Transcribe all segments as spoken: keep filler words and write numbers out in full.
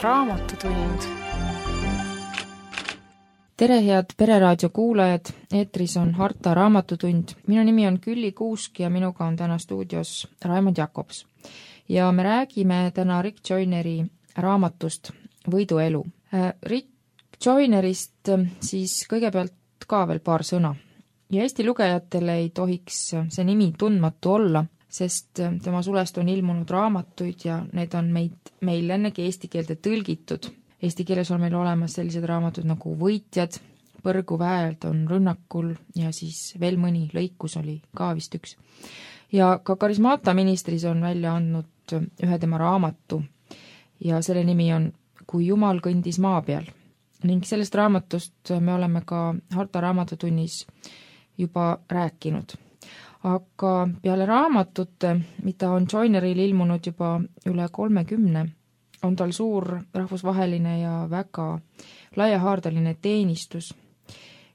Raamatutund. Tere, head Pereraadio kuulajad, eetris on Harta Raamatutund. Minu nimi on Külli Kuusk ja minuga on täna stuudios Raimond Jakobs. Ja me räägime täna Rick Joyneri raamatust Võidu elu. Rick Joynerist siis kõigepealt ka veel paar sõna. Ja Eesti lugejatele ei tohiks see nimi tundmatu olla, sest tema sulest on ilmunud raamatuid ja need on meid, meil ennegi eesti keelde tõlgitud. Eesti keeles on meil olemas sellised raamatud nagu Võitjad, Põrguväeld on Rünnakul ja siis veel mõni lõikus oli ka vist üks. Ja ka Karismaata ministris on välja andnud ühe tema raamatu ja selle nimi on Kui Jumal kõndis maa peal. Ning sellest raamatust me oleme ka Harta Raamatutunnis juba rääkinud. Aga peale raamatute, mida on Joyneril ilmunud juba üle kolmekümne, on tal suur rahvusvaheline ja väga laiahaardeline teenistus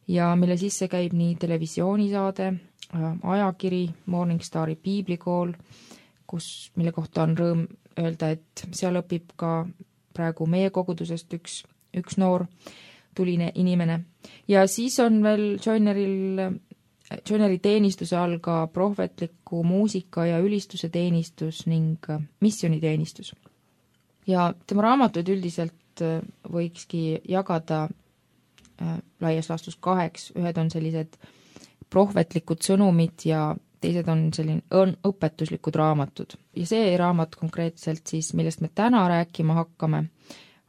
ja mille sisse käib nii televisioonisaade, ajakiri, Morningstari piiblikool, kus, mille kohta on rõõm öelda, et seal õpib ka praegu meie kogudusest üks, üks noor tuline inimene. Ja siis on veel Joyneril Joyneri teenistuse all ka prohvetliku muusika ja ülistuse teenistus ning missioniteenistus. Ja tema raamatuid üldiselt võikski jagada laias laastus kaheks. Ühed on sellised prohvetlikud sõnumid ja teised on selline õpetuslikud raamatud. Ja see raamat konkreetselt siis, millest me täna rääkima hakkame,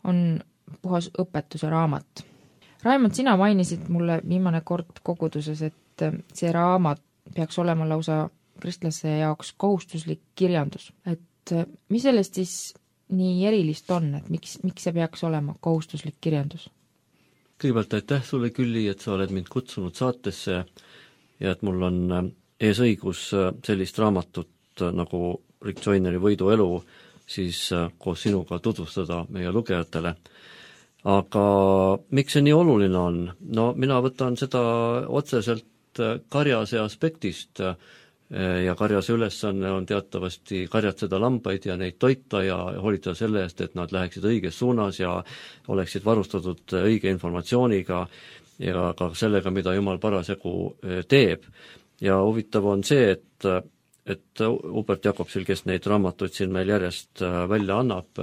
on puhas õpetuse raamat. Raimond, sina mainisid mulle viimane kord koguduses, et see raamat peaks olema lausa kristlase jaoks kohustuslik kirjandus. Et mis sellest siis nii erilist on, et miks, miks see peaks olema kohustuslik kirjandus? Kõigepealt aitäh sulle, Külli, et sa oled mind kutsunud saatesse ja et mul on ees õigus sellist raamatut nagu Rick Joyneri Võidu elu siis koos sinuga tutvustada meie lugejatele. Aga miks see nii oluline on? No mina võtan seda otseselt karjase aspektist ja karjase ülesanne on teatavasti karjatseda lambaid ja neid toita ja hoolitseda selle eest, et nad läheksid õiges suunas ja oleksid varustatud õige informatsiooniga ja ka sellega, mida Jumal parasjagu teeb. Ja huvitav on see, et, et Hubert Jakobsil, kes neid raamatuid siin meil järjest välja annab,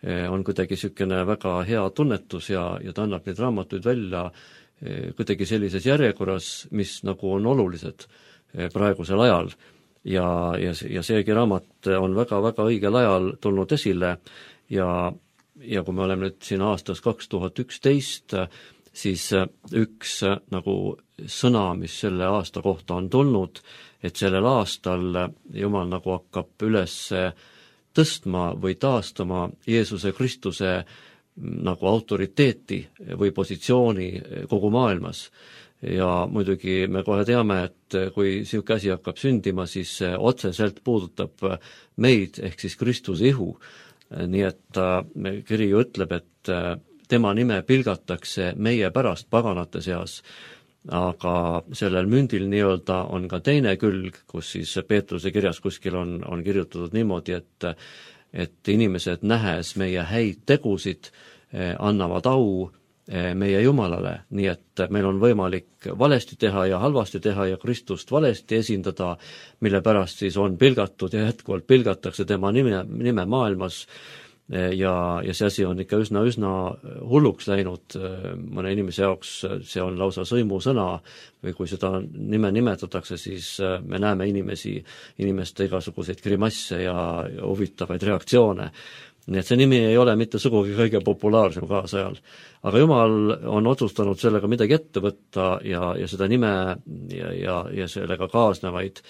on kuidagi niisugune väga hea tunnetus ja, ja ta annab neid raamatuid välja kuidagi sellises järjekorras, mis nagu on olulised praegusel ajal. Ja, ja, ja seegi raamat on väga-väga õigel ajal tulnud esile ja, ja kui me oleme nüüd siin aastas kaks tuhat üksteist, siis üks nagu sõna, mis selle aasta kohta on tulnud, et sellel aastal Jumal nagu hakkab üles tõstma või taastama Jeesuse Kristuse nagu autoriteeti või positsiooni kogu maailmas. Ja muidugi me kohe teame, et kui siuke asi hakkab sündima, siis otseselt puudutab meid ehk siis Kristuse ihu. Nii et kiri ju ütleb, et tema nime pilgatakse meie pärast paganate seas, aga sellel mündil nii-öelda on ka teine külg, kus siis Peetruse kirjas kuskil on, on kirjutatud niimoodi, et et inimesed nähes meie häid tegusid annavad au meie Jumalale, nii et meil on võimalik valesti teha ja halvasti teha ja Kristust valesti esindada, mille pärast siis on pilgatud ja jätkuvalt pilgatakse tema nime, nime maailmas ja, ja see asi on ikka üsna, üsna hulluks läinud mõne inimese jaoks, see on lausa sõimusõna või kui seda nime nimetatakse, siis me näeme inimesi, inimeste igasuguseid grimasse ja huvitavaid reaktsioone. Nii et see nimi ei ole mitte sugugi kõige populaarsem kaasajal. Aga Jumal on otsustanud sellega midagi ette võtta ja, ja seda nime ja, ja, ja sellega kaasnevaid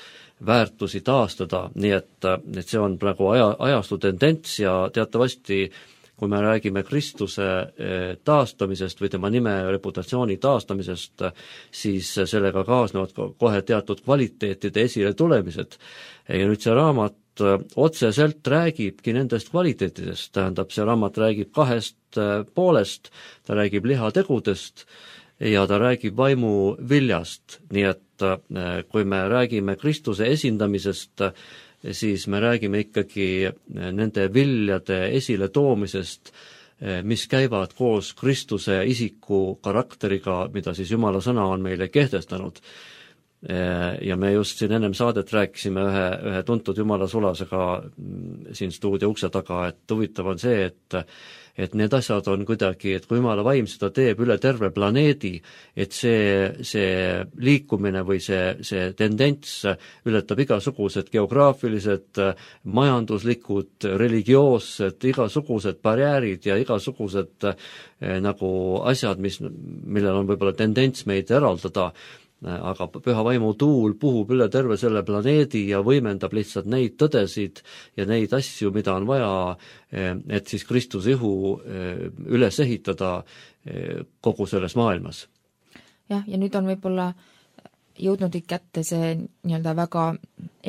väärtusi taastada, nii et, et see on praegu aja, ajastu tendents ja teatavasti, kui me räägime Kristuse taastamisest või tema nime reputatsiooni taastamisest, siis sellega kaasnevad kohe teatud kvaliteetide esile tulemised. Ja nüüd see raamat otseselt räägibki nendest kvaliteetidest, tähendab, see raamat räägib kahest poolest, ta räägib lihategudest ja ta räägib vaimu viljast, nii et kui me räägime Kristuse esindamisest, siis me räägime ikkagi nende viljade esile toomisest mis käivad koos Kristuse isiku karakteriga, mida siis Jumala sõna on meile kehtestanud. Ja me just siin ennem saadet rääkisime ühe, ühe tuntud Jumala sulasega siin stuudio ukse taga, et huvitav on see, et et need asjad on kuidagi, et kui Jumala vaim seda teeb üle terve planeedi, et see, see liikumine või see, see tendents ületab igasugused geograafilised, majanduslikud, religioossed, igasugused barjäärid ja igasugused eh, nagu asjad, mis, millel on võib-olla tendents meid eraldada, aga püha vaimu tuul puhub üle terve selle planeedi ja võimendab lihtsalt neid tõdesid ja neid asju, mida on vaja, et siis Kristuse ihu üles ehitada kogu selles maailmas. Jah, ja nüüd on võib-olla jõudnud kätte see nii-öelda väga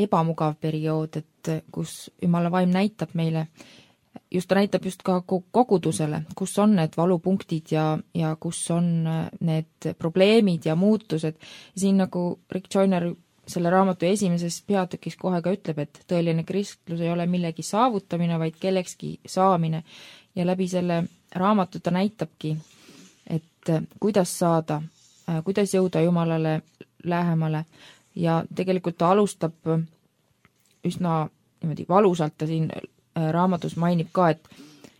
ebamugav periood, et kus Jumala vaim näitab meile, just ta näitab just ka kogudusele, kus on need valupunktid ja, ja kus on need probleemid ja muutused. Ja siin nagu Rick Joyner selle raamatu esimeses peatükis kohe ka ütleb, et tõeline kristlus ei ole millegi saavutamine, vaid kellekski saamine. Ja läbi selle raamatu ta näitabki, et kuidas saada, kuidas jõuda Jumalale lähemale. Ja tegelikult ta alustab üsna niimoodi valusalt, ta siin raamatus mainib ka, et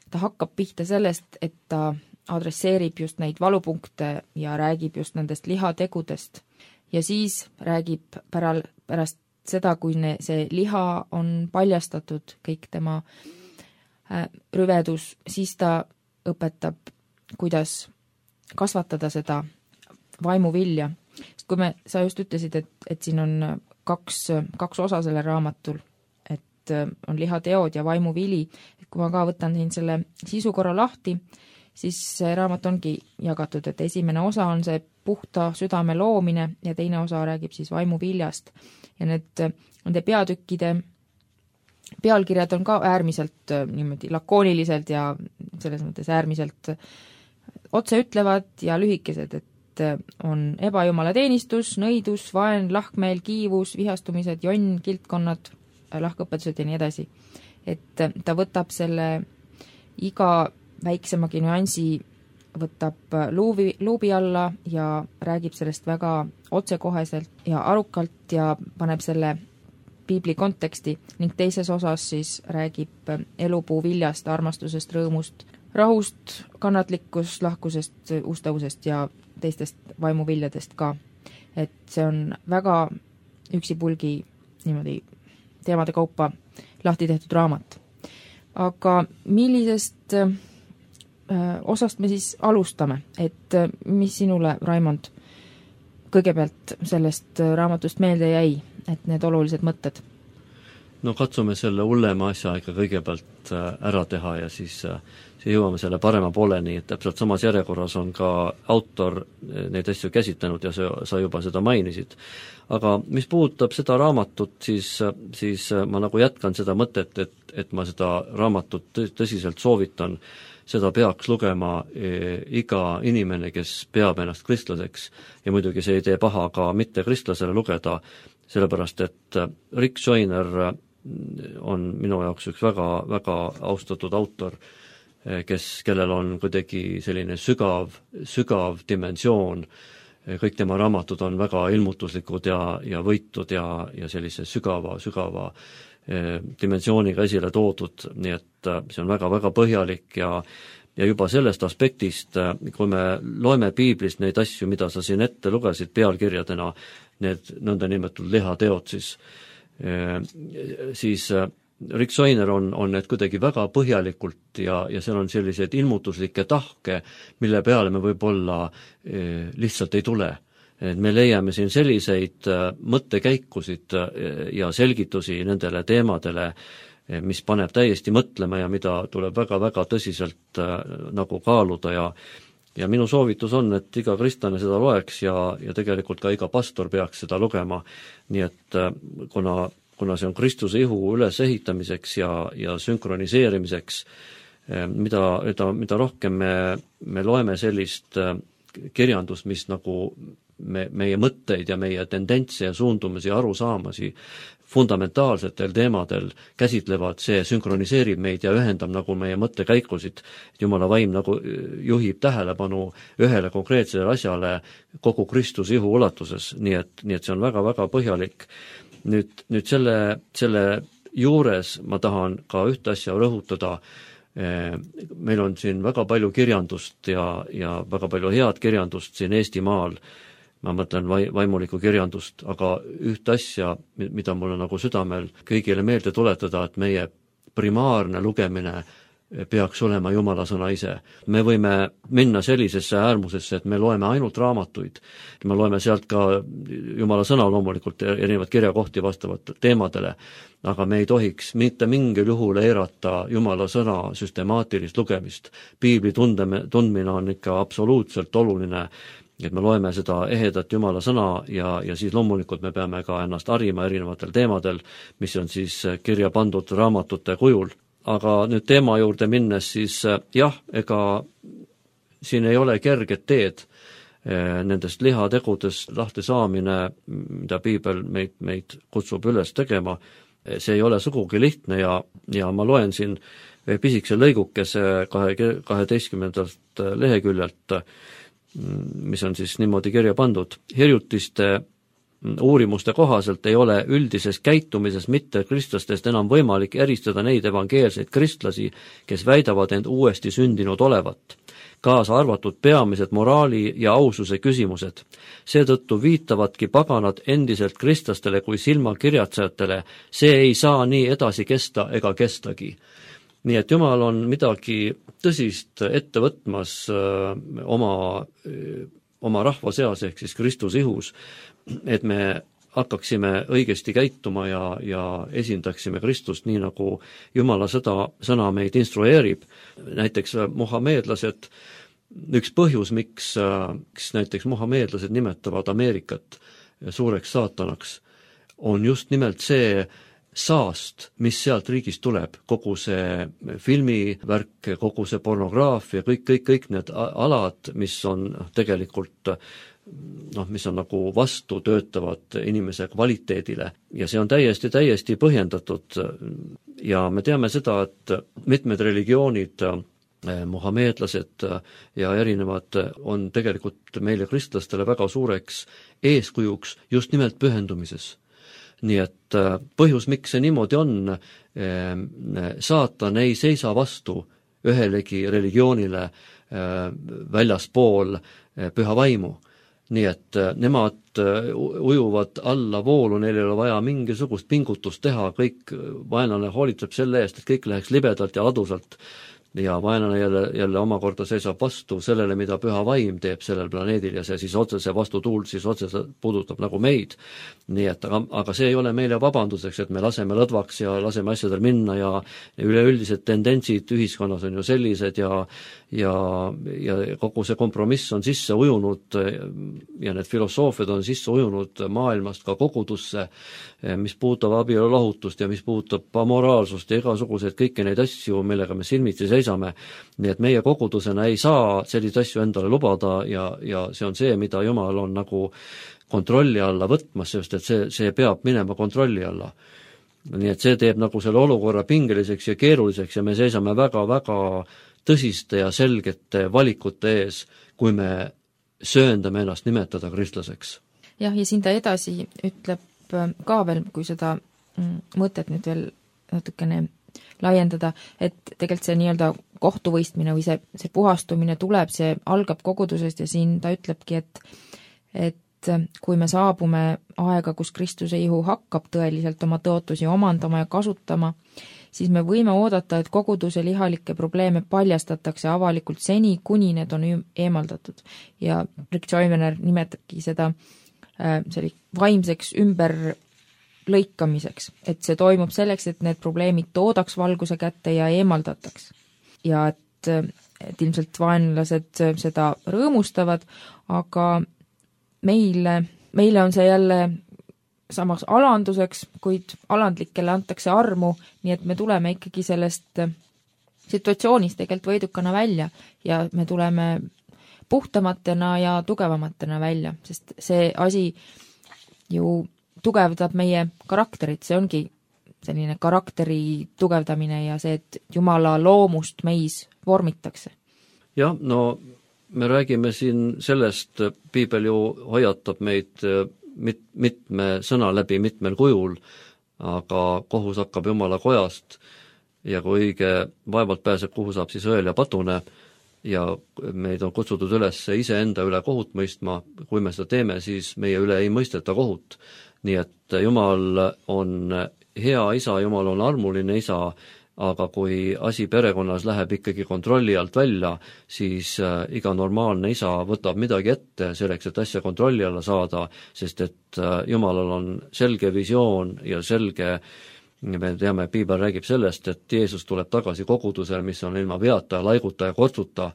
ta hakkab pihta sellest, et ta adresseerib just neid valupunkte ja räägib just nendest lihategudest. Ja siis räägib päral, pärast seda, kui ne, see liha on paljastatud, kõik tema äh, rüvedus, siis ta õpetab, kuidas kasvatada seda vaimuvilja. Sest kui me, sa just ütlesid, et, et siin on kaks, kaks osa selle raamatul, on lihateod ja vaimuvili. Kui ma ka võtan siin selle sisukorra lahti, siis see raamat ongi jagatud, et esimene osa on see puhta südame loomine ja teine osa räägib siis vaimuviljast. Ja need, nende peatükkide pealkirjad on ka äärmiselt niimoodi lakooniliselt ja selles mõttes äärmiselt otse ütlevad ja lühikesed, et on ebajumala teenistus, nõidus, vaen, lahkmeel, kiivus, vihastumised, jonn, kiltkonnad, lahkõpetused ja nii edasi. Et ta võtab selle iga väiksemagi nüansi, võtab luubi, luubi alla ja räägib sellest väga otsekoheselt ja arukalt ja paneb selle piibli konteksti ning teises osas siis räägib elupuu viljast, armastusest, rõõmust, rahust, kannatlikust, lahkusest, ustavusest ja teistest vaimuviljadest ka. Et see on väga üksipulgi niimoodi teemade kaupa lahti tehtud raamat. Aga millisest äh, osast me siis alustame? Et äh, mis sinule, Raimond, kõigepealt sellest raamatust meelde jäi, et need olulised mõtted? No katsume selle hullema asja ikka kõigepealt ära teha ja siis, siis jõuame selle parema pooleni, et täpselt samas järjekorras on ka autor neid asju käsitlenud ja sa, sa juba seda mainisid. Aga mis puudutab seda raamatut, siis, siis ma nagu jätkan seda mõtet, et, et ma seda raamatut tõsiselt soovitan, seda peaks lugema iga inimene, kes peab ennast kristlaseks ja muidugi see ei tee paha ka mitte kristlasele lugeda, sellepärast et Rick Joyner on minu jaoks üks väga, väga austatud autor, kes, kellel on kuidagi selline sügav, sügav dimensioon. Kõik tema raamatud on väga ilmutuslikud ja, ja võitud ja, ja sellise sügava, sügava eh, dimensiooniga esile toodud, nii et see on väga, väga põhjalik ja ja juba sellest aspektist, kui me loeme piiblist neid asju, mida sa siin ette lugesid pealkirjadena, need nõndanimetatud lihateod, siis siis Rick Joyner on, on need kuidagi väga põhjalikult ja, ja seal on selliseid ilmutuslikke tahke, mille peale me võib-olla eh, lihtsalt ei tule. Et me leiame siin selliseid eh, mõttekäikusid eh, ja selgitusi nendele teemadele, eh, mis paneb täiesti mõtlema ja mida tuleb väga-väga tõsiselt eh, nagu kaaluda ja ja minu soovitus on, et iga kristlane seda loeks ja, ja tegelikult ka iga pastor peaks seda lugema, nii et eh, kuna kuna see on Kristuse ihu ülesehitamiseks ja, ja sünkroniseerimiseks, mida, mida, mida rohkem me, me loeme sellist kirjandust, mis nagu me, meie mõtteid ja meie tendentse ja suundumusi, arusaamasi fundamentaalsetel teemadel käsitlevad, see sünkroniseerib meid ja ühendab nagu meie mõttekäikusid. Jumala vaim nagu juhib tähelepanu ühele konkreetsele asjale kogu Kristuse ihu ulatuses, nii et, nii et see on väga-väga põhjalik. Nüüd, nüüd selle, selle juures ma tahan ka ühte asja rõhutada. Meil on siin väga palju kirjandust ja, ja väga palju head kirjandust siin Eestimaal, ma mõtlen vaimulikku kirjandust, aga ühte asja, mida mul on nagu südamel kõigile meelde tuletada, et meie primaarne lugemine peaks olema Jumala sõna ise. Me võime minna sellisesse äärmusesse, et me loeme ainult raamatuid. Me loeme sealt ka Jumala sõna loomulikult erinevad kirjakohti vastavat teemadele, aga me ei tohiks mitte mingil juhul eirata Jumala sõna süstemaatilist lugemist. Piibli tundme, tundmine on ikka absoluutselt oluline, et me loeme seda ehedat Jumala sõna ja, ja siis loomulikult me peame ka ennast harima erinevatel teemadel, mis on siis kirja pandud raamatute kujul. Aga nüüd teema juurde minnes, siis jah, ega siin ei ole kerget teed nendest lihategudest lahti saamine, mida Piibel meid, meid kutsub üles tegema. See ei ole sugugi lihtne ja, ja ma loen siin pisikese lõigukese kaheteistkümnendalt leheküljelt, mis on siis niimoodi kirja pandud. Hirjutiste uurimuste kohaselt ei ole üldises käitumises mitte kristlastest enam võimalik eristada neid evangeelseid kristlasi, kes väidavad end uuesti sündinud olevat, kaasa arvatud peamised moraali ja aususe küsimused. Seetõttu viitavadki paganad endiselt kristlastele kui silmakirjatsejatele, see ei saa nii edasi kesta ega kestagi. Nii et Jumal on midagi tõsist ette võtmas öö, oma, öö, oma rahva seas ehk siis Kristuse ihus, et me hakkaksime õigesti käituma ja, ja esindaksime Kristust nii, nagu Jumala seda sõna meid instrueerib. Näiteks muhameedlased, üks põhjus, miks, miks näiteks muhameedlased nimetavad Ameerikat suureks saatanaks, on just nimelt see saast, mis sealt riigist tuleb, kogu see filmivärk, kogu see pornograafia, kõik, kõik, kõik need alad, mis on tegelikult noh, mis on nagu vastu töötavad inimese kvaliteedile ja see on täiesti, täiesti põhjendatud ja me teame seda, et mitmed religioonid, muhameedlased ja erinevad on tegelikult meile kristlastele väga suureks eeskujuks just nimelt pühendumises. Nii et põhjus, miks see niimoodi on, saatan ei seisa vastu ühelegi religioonile väljaspool püha vaimu. Nii et nemad ujuvad alla voolu, neil ei ole vaja mingisugust pingutust teha, kõik vaenlane hoolitseb selle eest, et kõik läheks libedalt ja ladusalt ja vaenlane jälle, jälle omakorda seisab vastu sellele, mida püha vaim teeb sellel planeedil ja see siis otsese vastutuul siis otsese puudutab nagu meid. Nii et, aga, aga see ei ole meile vabanduseks, et me laseme lõdvaks ja laseme asjadel minna ja üleüldised tendentsid ühiskonnas on ju sellised ja, ja, ja kogu see kompromiss on sisse ujunud ja need filosoofiad on sisse ujunud maailmast ka kogudusse, mis puudutab abielu lahutust ja mis puudutab amoraalsust ja igasuguseid kõiki neid asju, millega me silmitsi seisame. Nii et meie kogudusena ei saa selliseid asju endale lubada ja, ja see on see, mida Jumal on nagu kontrolli alla võtmas, sest et see, see peab minema kontrolli alla. Nii et see teeb nagu selle olukorra pingeliseks ja keeruliseks ja me seisame väga-väga tõsiste ja selgete valikute ees, kui me sööndame ennast nimetada kristlaseks. Jah, ja siin ta edasi ütleb ka veel, kui seda mõtet nüüd veel natukene laiendada, et tegelikult see nii-öelda kohtuvõistmine või see, see puhastumine tuleb, see algab kogudusest ja siin ta ütlebki, et, et kui me saabume aega, kus Kristuse ihu hakkab tõeliselt oma tõotusi omandama ja kasutama, siis me võime oodata, et koguduse lihalikke probleeme paljastatakse avalikult seni, kuni need on eemaldatud. Ja Rick Joyner nimetabki seda selli vaimseks ümber lõikamiseks, et see toimub selleks, et need probleemid toodaks valguse kätte ja eemaldataks. Ja et, et ilmselt vaenlased seda rõõmustavad, aga meile, meile on see jälle samas alanduseks, kuid alandlikele antakse armu, nii et me tuleme ikkagi sellest situatsioonist tegelikult võidukana välja ja me tuleme puhtamatena ja tugevamatena välja, sest see asi ju tugevdab meie karakterit, see ongi selline karakteri tugevdamine ja see, et Jumala loomust meis vormitakse. Jah, no me räägime siin sellest, piibel ju hoiatab meid mit, mitme sõna läbi mitmel kujul, aga kohus hakkab Jumala kojast ja kui õige vaevalt pääseb, kuhu saab siis õel ja patune ja meid on kutsutud üles iseenda üle kohut mõistma, kui me seda teeme, siis meie üle ei mõisteta kohut. Nii et Jumal on hea isa, Jumal on armuline isa, aga kui asi perekonnas läheb ikkagi kontrolli alt välja, siis iga normaalne isa võtab midagi ette selleks, et asja kontrolli alla saada, sest et Jumalal on selge visioon ja selge, me teame, piibel räägib sellest, et Jeesus tuleb tagasi kogudusele, mis on ilma veata, laiguta ja kortsuta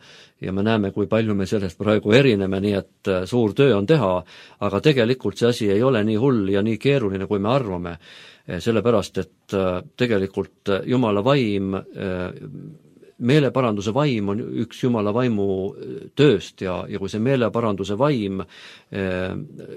ja me näeme, kui palju me sellest praegu erineme, nii et suur töö on teha, aga tegelikult see asi ei ole nii hull ja nii keeruline, kui me arvame. Sellepärast, et tegelikult Jumala vaim, meeleparanduse vaim on üks Jumala vaimu tööst ja, ja kui see meeleparanduse vaim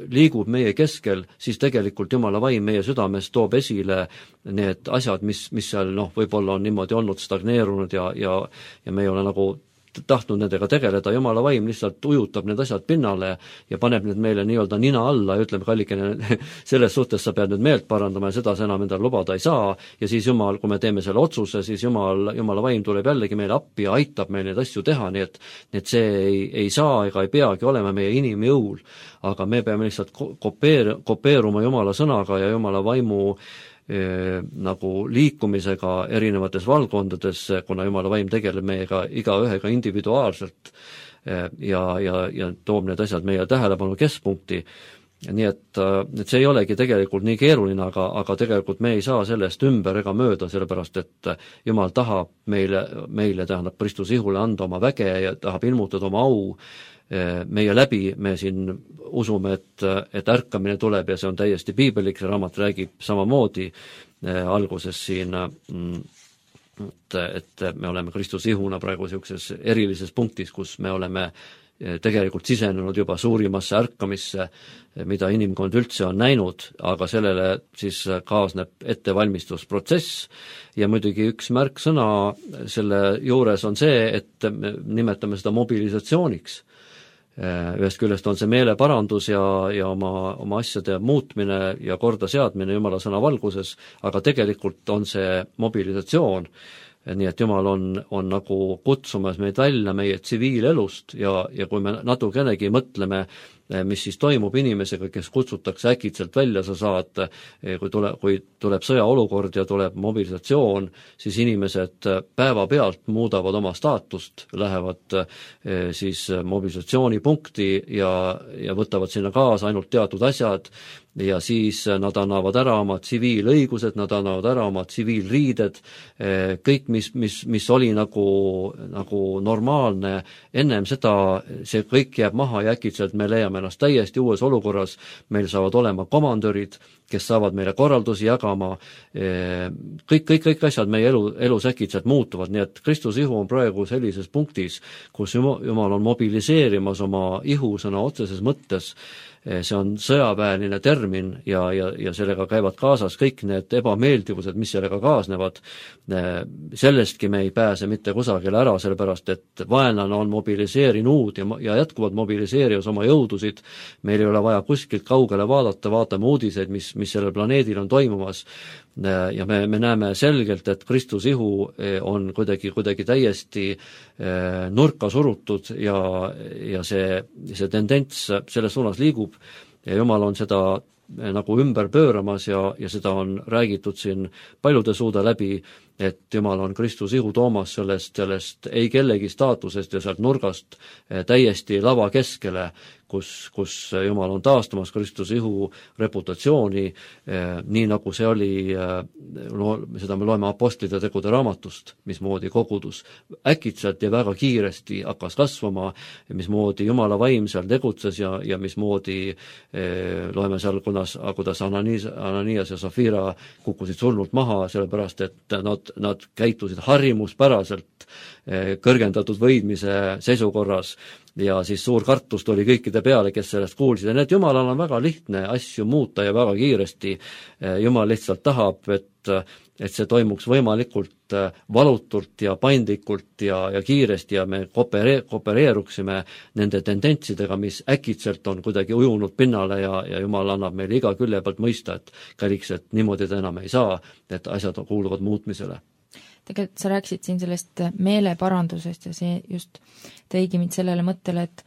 liigub meie keskel, siis tegelikult Jumala vaim meie südames toob esile need asjad, mis, mis seal noh, võib-olla on niimoodi olnud stagneerunud ja, ja, ja me ei ole nagu tahtnud nendega tegeleda, Jumala vaim lihtsalt ujutab need asjad pinnale ja paneb need meile nii-öelda nina alla ja ütleme, kallikene, selles suhtes sa pead nüüd meelt parandama ja seda sa enam endale lubada ei saa ja siis Jumal, kui me teeme selle otsuse, siis Jumal, Jumala vaim tuleb jällegi meile appi ja aitab meil neid asju teha, nii et, nii et see ei, ei saa ega ei peagi olema meie inimjõul, aga me peame lihtsalt kopeer, kopeeruma Jumala sõnaga ja Jumala vaimu E, nagu liikumisega erinevates valdkondades, kuna Jumala vaim tegeleb meiega iga ühega individuaalselt e, ja, ja, ja toob need asjad meie tähelepanu keskpunkti. Nii et, et see ei olegi tegelikult nii keeruline, aga, aga tegelikult me ei saa sellest ümber ega mööda, sellepärast et Jumal tahab meile, meile tähendab Kristuse ihule anda oma väge ja tahab ilmutada oma au meie läbi, me siin usume, et, et ärkamine tuleb ja see on täiesti piibelik, see raamat räägib samamoodi eh, alguses siin, et, et me oleme Kristuse ihuna praegu niisuguses erilises punktis, kus me oleme tegelikult sisenenud juba suurimasse ärkamisse, mida inimkond üldse on näinud, aga sellele siis kaasneb ettevalmistusprotsess ja muidugi üks märksõna selle juures on see, et me nimetame seda mobilisatsiooniks. Ühest küljest on see meeleparandus ja, ja oma, oma asjade muutmine ja korda seadmine Jumala sõna valguses, aga tegelikult on see mobilisatsioon, nii et Jumal on, on nagu kutsumas meid välja meie tsiviilelust ja, ja kui me natukenegi mõtleme, mis siis toimub inimesega, kes kutsutakse äkitselt välja, sa saad, kui tule, kui tuleb sõjaolukord ja tuleb mobilisatsioon, siis inimesed päevapealt muudavad oma staatust, lähevad siis mobilisatsioonipunkti ja, ja võtavad sinna kaasa ainult teatud asjad ja siis nad annavad ära oma tsiviilõigused, nad annavad ära oma tsiviilriided, kõik, mis, mis, mis oli nagu, nagu normaalne ennem seda, see kõik jääb maha ja äkitselt me leiame ennast täiesti uues olukorras, meil saavad olema komandörid, kes saavad meile korraldusi jagama, kõik, kõik, kõik asjad meie elu, elus äkitselt muutuvad, nii et Kristuse ihu on praegu sellises punktis, kus Jumal on mobiliseerimas oma ihu sõna otseses mõttes, see on sõjaväeline termin ja, ja, ja sellega käivad kaasas kõik need ebameeldivused, mis sellega kaasnevad. Sellestki me ei pääse mitte kusagile ära, sellepärast et vaenlane on mobiliseerinud ja, ja jätkuvalt mobiliseerius oma jõudusid. Meil ei ole vaja kuskilt kaugele vaadata, vaatame uudiseid, mis, mis sellel planeedil on toimumas. Ja me, me näeme selgelt, et Kristuse ihu on kuidagi, kuidagi täiesti nurka surutud ja, ja see, see tendents selles suunas liigub ja Jumal on seda nagu ümber pööramas ja, ja seda on räägitud siin paljude suude läbi, et Jumal on Kristuse ihu toomas sellest, sellest ei kellegi staatusest ja sealt nurgast täiesti lava keskele, kus, kus Jumal on taastamas Kristuse ihu reputatsiooni, nii nagu see oli, no, seda me loeme apostlite tegude raamatust, mismoodi kogudus äkitselt ja väga kiiresti hakkas kasvama, mismoodi Jumala vaim seal tegutses ja, ja mismoodi loeme seal, kuidas, kuidas Ananias, Ananias ja Safira kukkusid surnult maha, sellepärast et nad nad käitusid harjumuspäraselt kõrgendatud võidmise seisukorras ja siis suur kartus tuli kõikide peale, kes sellest kuulsid. Ja need Jumalal on väga lihtne asju muuta ja väga kiiresti. Jumal lihtsalt tahab, et, et see toimuks võimalikult valutult ja paindlikult ja, ja kiiresti ja me koopere, koopereeruksime nende tendentsidega, mis äkitselt on kuidagi ujunud pinnale ja, ja Jumal annab meile iga külje pealt mõista, et kalliks, et niimoodi ta enam ei saa, et asjad kuuluvad muutmisele. Tegelikult sa rääkisid siin sellest meeleparandusest ja see just tõigi mind sellele mõttele, et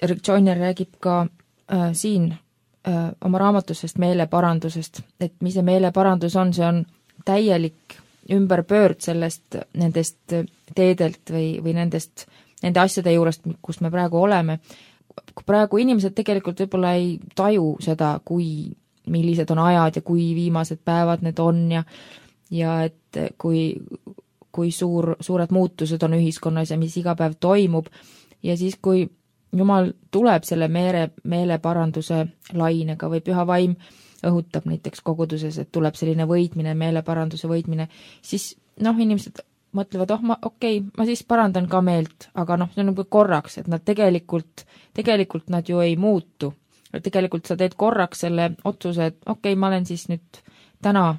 Rick Joyner räägib ka äh, siin äh, oma raamatusest meeleparandusest, et mis see meeleparandus on, see on täielik ümberpöörd sellest, nendest teedelt või, või nendest, nende asjade juurest, kus me praegu oleme. Praegu inimesed tegelikult võib-olla ei taju seda, kui, millised on ajad ja kui viimased päevad need on ja ja et kui, kui suur, suured muutused on ühiskonnas ja mis iga päev toimub ja siis, kui Jumal tuleb selle meele, meeleparanduse lainega või püha vaim õhutab näiteks koguduses, et tuleb selline võitmine, meeleparanduse võitmine, siis noh, inimesed mõtlevad, oh ma, okei, okay, ma siis parandan ka meelt, aga noh, see on nagu korraks, et nad tegelikult, tegelikult nad ju ei muutu. Tegelikult sa teed korraks selle otsuse, et okei okay,, ma olen siis nüüd täna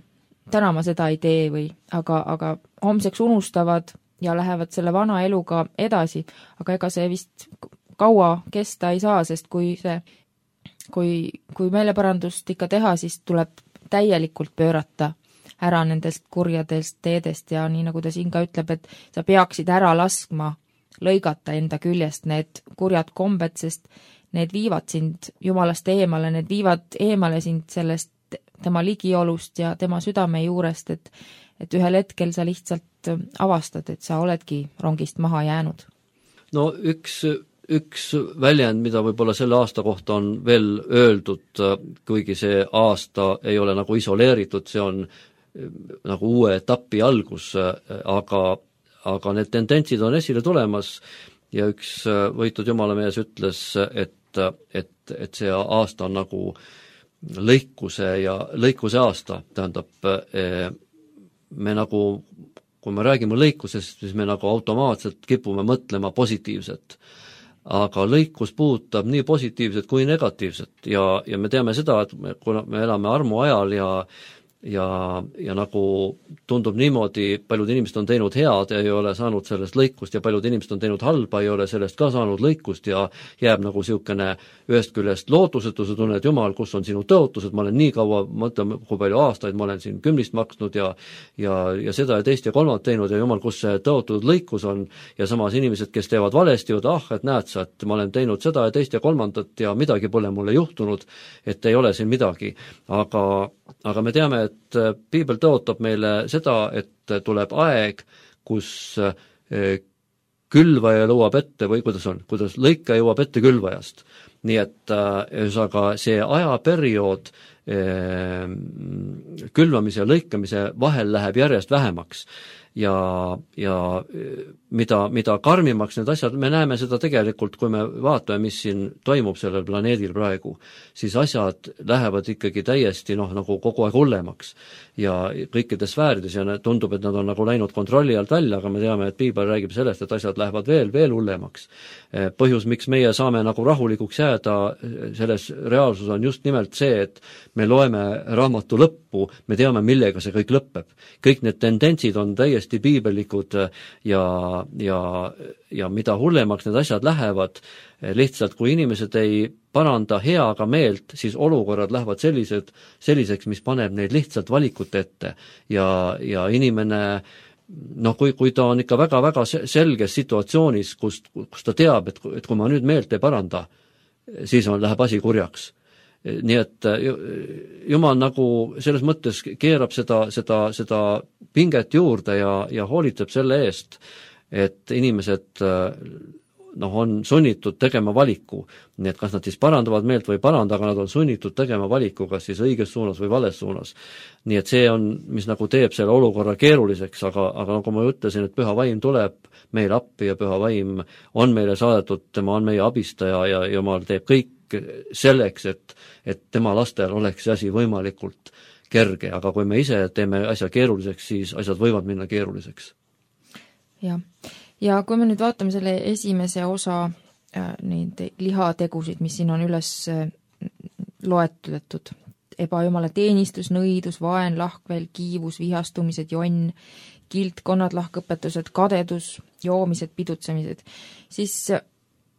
täna ma seda ei tee või, aga, aga homseks unustavad ja lähevad selle vana eluga edasi, aga ega see vist kaua kesta ei saa, sest kui see, kui, kui meeleparandust ikka teha, siis tuleb täielikult pöörata ära nendest kurjadest teedest ja nii nagu ta siin ka ütleb, et sa peaksid ära laskma lõigata enda küljest need kurjad kombed, sest need viivad sind Jumalast eemale, need viivad eemale sind sellest tema ligiolust ja tema südame juurest, et, et ühel hetkel sa lihtsalt avastad, et sa oledki rongist maha jäänud. No üks, üks väljend, mida võib-olla selle aasta kohta on veel öeldud, kuigi see aasta ei ole nagu isoleeritud, see on nagu uue etapi algus, aga, aga need tendentsid on esile tulemas ja üks võitud Jumalamees ütles, et, et, et see aasta on nagu lõikuse ja lõikuse aasta, tähendab me nagu, kui me räägime lõikusest, siis me nagu automaatselt kipume mõtlema positiivset. Aga lõikus puudutab nii positiivset kui negatiivset ja, ja me teame seda, et me, kuna me elame armu ajal ja ja, ja nagu tundub niimoodi, paljud inimesed on teinud head ja ei ole saanud sellest lõikust ja paljud inimesed on teinud halba, ei ole sellest ka saanud lõikust ja jääb nagu siukene ühest küljest lootusetuse tunne, et Jumal, kus on sinu tõotused, ma olen nii kaua, mõtleme, kui palju aastaid ma olen siin kümnist maksnud ja, ja, ja seda ja teist ja kolmandat teinud ja Jumal, kus see tõotud lõikus on ja samas inimesed, kes teevad valesti, et ah, et näed sa, et ma olen teinud seda ja teist ja kolmandat ja midagi pole mulle juhtunud, et ei ole siin midagi, aga, aga me teame, et piibel tõotab meile seda, et tuleb aeg, kus külvaja jõuab ette või kuidas on, kuidas lõika jõuab ette külvajast. Nii et ühesõnaga see ajaperiood külvamise ja lõikamise vahel läheb järjest vähemaks ja, ja mida, mida karmimaks need asjad, me näeme seda tegelikult, kui me vaatame, mis siin toimub sellel planeedil praegu, siis asjad lähevad ikkagi täiesti noh, nagu kogu aeg hullemaks ja kõikides sfäärides ja tundub, et nad on nagu läinud kontrolli alt välja, aga me teame, et piibel räägib sellest, et asjad lähevad veel, veel hullemaks. Põhjus, miks meie saame nagu rahulikuks jääda, selles reaalsus on just nimelt see, et me loeme raamatu lõppu, me teame, millega see kõik lõpeb. Kõik need tendentsid on täiesti piibelikud ja, ja, ja mida hullemaks need asjad lähevad, lihtsalt kui inimesed ei paranda heaga meelt, siis olukorrad lähevad sellised, selliseks, mis paneb neid lihtsalt valikute ette ja, ja inimene noh, kui, kui ta on ikka väga-väga selges situatsioonis, kus, kus ta teab, et, et kui ma nüüd meelt ei paranda, siis on, läheb asi kurjaks. Nii et Jumal nagu selles mõttes keerab seda, seda, seda pinget juurde ja, ja hoolitseb selle eest, et inimesed noh, on sunnitud tegema valiku. Nii et kas nad siis parandavad meelt või ei paranda, aga nad on sunnitud tegema valiku, kas siis õiges suunas või vales suunas. Nii et see on, mis nagu teeb selle olukorra keeruliseks, aga, aga nagu ma ütlesin, et püha vaim tuleb meil appi ja püha vaim on meile saadetud, tema on meie abistaja ja Jumal teeb kõik selleks, et, et tema lastel oleks see asi võimalikult kerge, aga kui me ise teeme asja keeruliseks, siis asjad võivad minna keeruliseks. Jah. Ja kui me nüüd vaatame selle esimese osa neid lihategusid, mis siin on üles loetletud. Ebajumala teenistus, nõidus, vaen, lahkvel, kiivus, vihastumised, jonn, kilt, konnad, lahkõpetused, kadedus, joomised, pidutsemised. Siis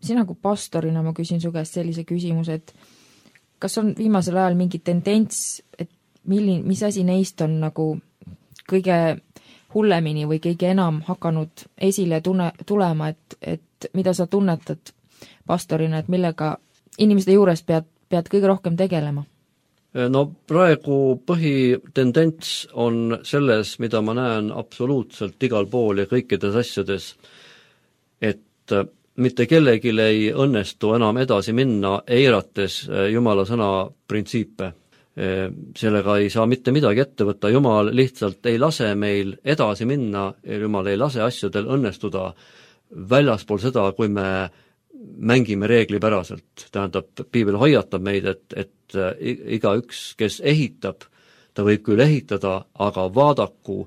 sina kui pastorina ma küsin su käest sellise küsimuse, et kas on viimasel ajal mingi tendents, et milline, mis asi neist on nagu kõige hullemini või kõige enam hakanud esile tunne, tulema, et, et mida sa tunnetad pastorina, et millega inimeste juures pead, pead kõige rohkem tegelema? No praegu põhitendents on selles, mida ma näen absoluutselt igal pool ja kõikides asjades, et mitte kellelgi ei õnnestu enam edasi minna, eirates Jumala sõna printsiipe. Sellega ei saa mitte midagi ette võtta, Jumal lihtsalt ei lase meil edasi minna, Jumal ei lase asjadel õnnestuda väljaspool seda, kui me mängime reeglipäraselt. Tähendab, piibel hoiatab meid, et, et igaüks, kes ehitab, ta võib küll ehitada, aga vaadaku,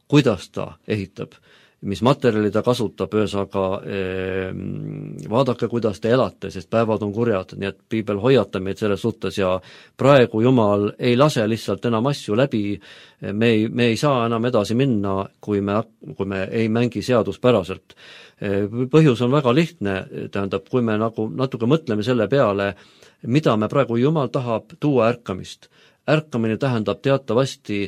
kuidas ta ehitab, mis materjali ta kasutab, ühesõnaga eh, vaadake, kuidas te elate, sest päevad on kurjad, nii et piibel hoiatab meid selles suhtes ja praegu Jumal ei lase lihtsalt enam asju läbi, me ei, me ei saa enam edasi minna, kui me, kui me ei mängi seaduspäraselt. Põhjus on väga lihtne, tähendab, kui me nagu natuke mõtleme selle peale, mida me praegu, Jumal tahab tuua ärkamist. Ärkamine tähendab teatavasti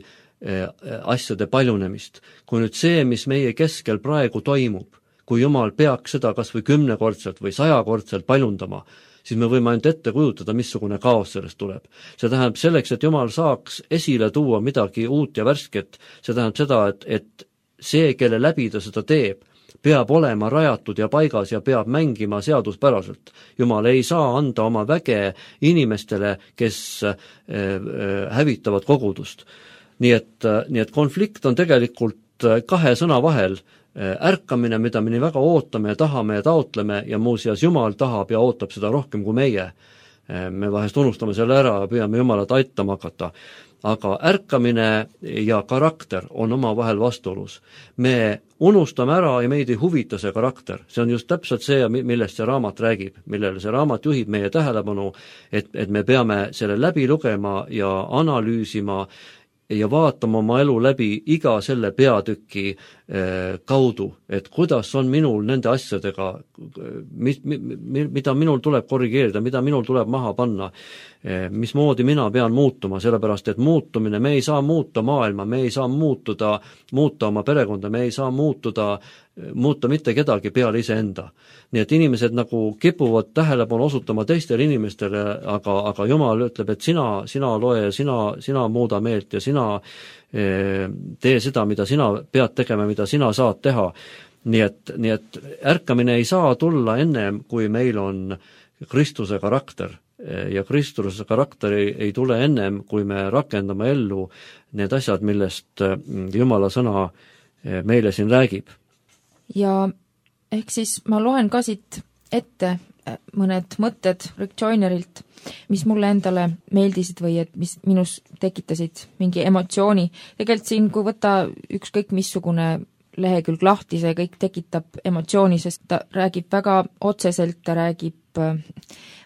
asjade paljunemist. Kui nüüd see, mis meie keskel praegu toimub, kui Jumal peaks seda kas või kümnekordselt või sajakordselt paljundama, siis me võime ainult ette kujutada, missugune kaos sellest tuleb. See tähendab selleks, et Jumal saaks esile tuua midagi uut ja värsket, see tähendab seda, et, et see, kelle läbi ta seda teeb, peab olema rajatud ja paigas ja peab mängima seaduspäraselt. Jumal ei saa anda oma väge inimestele, kes hävitavad kogudust. Nii et, nii et konflikt on tegelikult kahe sõna vahel. Ärkamine, mida me nii väga ootame ja tahame ja taotleme ja muuseas Jumal tahab ja ootab seda rohkem kui meie. Me vahest unustame selle ära ja püüame Jumalat aitama hakata. Aga ärkamine ja karakter on oma vahel vastuolus. Me unustame ära ja meid ei huvita see karakter. See on just täpselt see, millest see raamat räägib, millele see raamat juhib meie tähelepanu, et, et me peame selle läbi lugema ja analüüsima ja vaatama oma elu läbi iga selle peatüki eh, kaudu, et kuidas on minul nende asjadega, mis, mida minul tuleb korrigeerida, mida minul tuleb maha panna, eh, mismoodi mina pean muutuma, sellepärast et muutumine, me ei saa muuta maailma, me ei saa muutuda, muuta oma perekonda, me ei saa muutuda, muuta mitte kedagi peale iseenda. Nii et inimesed nagu kipuvad tähelepanu osutama teistele inimestele, aga, aga Jumal ütleb, et sina, sina loe ja sina, sina muuda meelt ja sina eh, tee seda, mida sina pead tegema, mida sina saad teha. Nii et, nii et ärkamine ei saa tulla ennem, kui meil on Kristuse karakter ja Kristuse karakter ei, ei tule ennem, kui me rakendame ellu need asjad, millest Jumala sõna meile siin räägib. Ja ehk siis ma loen ka siit ette mõned mõtted Rick Joynerilt, mis mulle endale meeldisid või et mis minus tekitasid mingi emotsiooni. Tegelikult siin, kui võtta ükskõik missugune lehekülg lahti, see kõik tekitab emotsiooni, sest ta räägib väga otseselt, ta räägib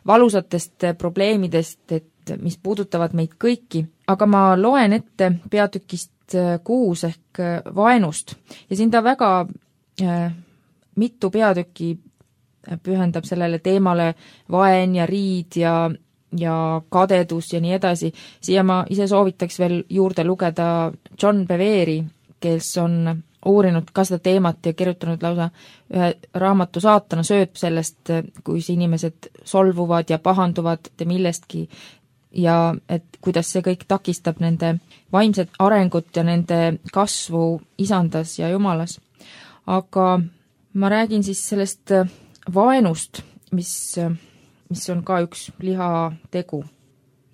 valusatest probleemidest, et mis puudutavad meid kõiki. Aga ma loen ette peatükist kuus ehk vaenust ja siin ta väga mitu peatükki pühendab sellele teemale vaen ja riid ja, ja kadedus ja nii edasi. Siia ma ise soovitaks veel juurde lugeda John Bevere, kes on uurinud ka seda teemat ja kirjutanud lausa ühe raamatu Saatana sööb sellest, kui inimesed solvuvad ja pahanduvad millestki ja et kuidas see kõik takistab nende vaimset arengut ja nende kasvu isandas ja Jumalas. Aga ma räägin siis sellest vaenust, mis, mis on ka üks lihategu.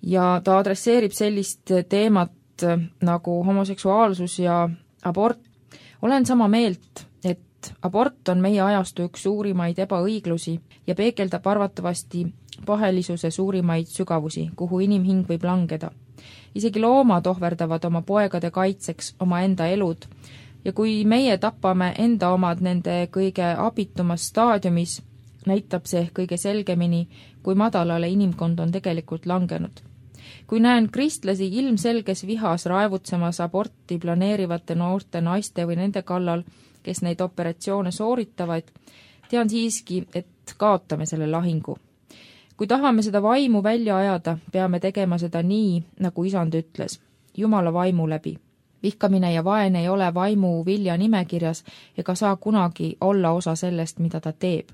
Ja ta adresseerib sellist teemat nagu homoseksuaalsus ja abort. Olen sama meelt, et abort on meie ajastu üks suurimaid ebaõiglusi ja peegeldab arvatavasti pahelisuse suurimaid sügavusi, kuhu inimhing võib langeda. Isegi loomad ohverdavad oma poegade kaitseks oma enda elud, ja kui meie tapame enda omad nende kõige abitumas staadiumis, näitab see kõige selgemini, kui madalale inimkond on tegelikult langenud. Kui näen kristlasi ilmselges vihas raevutsemas aborti planeerivate noorte naiste või nende kallal, kes neid operatsioone sooritavad, tean siiski, et kaotame selle lahingu. Kui tahame seda vaimu välja ajada, peame tegema seda nii, nagu isand ütles, Jumala vaimu läbi. Vihkamine ja vaen ei ole vaimu vilja nimekirjas ega saa kunagi olla osa sellest, mida ta teeb.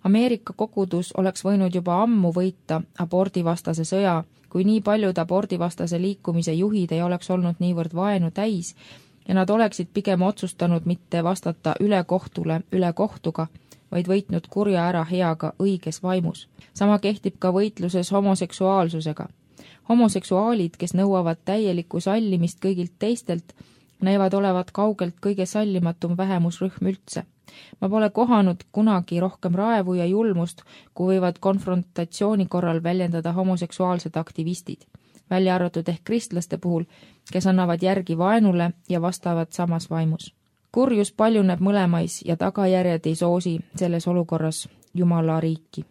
Ameerika kogudus oleks võinud juba ammu võita abordivastase sõja, kui nii paljud abordivastase liikumise juhid ei oleks olnud niivõrd vaenu täis ja nad oleksid pigem otsustanud mitte vastata üle kohtule üle kohtuga, vaid võitnud kurja ära heaga õiges vaimus. Sama kehtib ka võitluses homoseksuaalsusega. Homoseksuaalid, kes nõuavad täielikku sallimist kõigilt teistelt, näivad olevat kaugelt kõige sallimatum vähemusrühm üldse. Ma pole kohanud kunagi rohkem raevu ja julmust, kui võivad konfrontatsiooni korral väljendada homoseksuaalsed aktivistid, välja arvatud ehk kristlaste puhul, kes annavad järgi vaenule ja vastavad samas vaimus. Kurjus paljuneb mõlemais ja tagajärjed ei soosi selles olukorras Jumala riiki.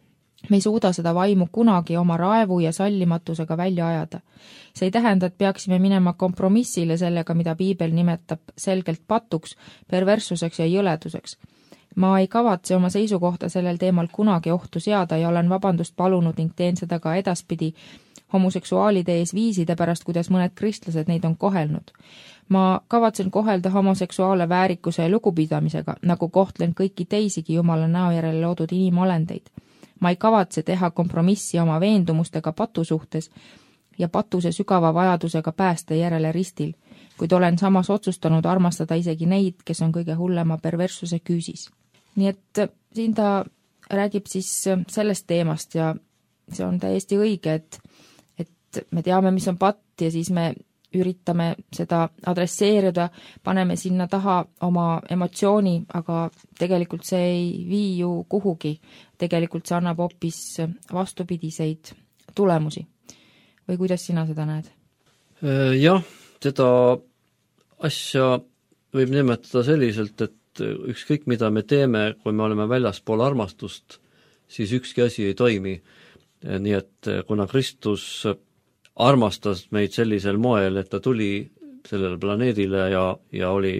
Me ei suuda seda vaimu kunagi oma raevu ja sallimatusega välja ajada. See ei tähenda, et peaksime minema kompromissile sellega, mida Piibel nimetab selgelt patuks, perverssuseks ja jõleduseks. Ma ei kavatse oma seisukohta sellel teemal kunagi ohtu seada ja olen vabandust palunud ning teen seda ka edaspidi homoseksuaalide ees viiside pärast, kuidas mõned kristlased neid on kohelnud. Ma kavatsen kohelda homoseksuaale väärikuse ja lugupidamisega, nagu kohtlen kõiki teisigi Jumala näo järele loodud inimolendeid. Ma ei kavatse teha kompromissi oma veendumustega patu suhtes ja patuse sügava vajadusega pääste järele ristil, kuid olen samas otsustanud armastada isegi neid, kes on kõige hullema perverssuse küüsis. Nii et siin ta räägib siis sellest teemast ja see on täiesti õige, et, et me teame, mis on patt ja siis me üritame seda adresseerida, paneme sinna taha oma emotsiooni, aga tegelikult see ei vii ju kuhugi. Tegelikult see annab hoopis vastupidiseid tulemusi. Või kuidas sina seda näed? Jah, seda asja võib nimetada selliselt, et ükskõik mida me teeme, kui me oleme väljaspool armastust, siis ükski asi ei toimi. Nii et kuna Kristus armastas meid sellisel moel, et ta tuli sellele planeedile ja, ja oli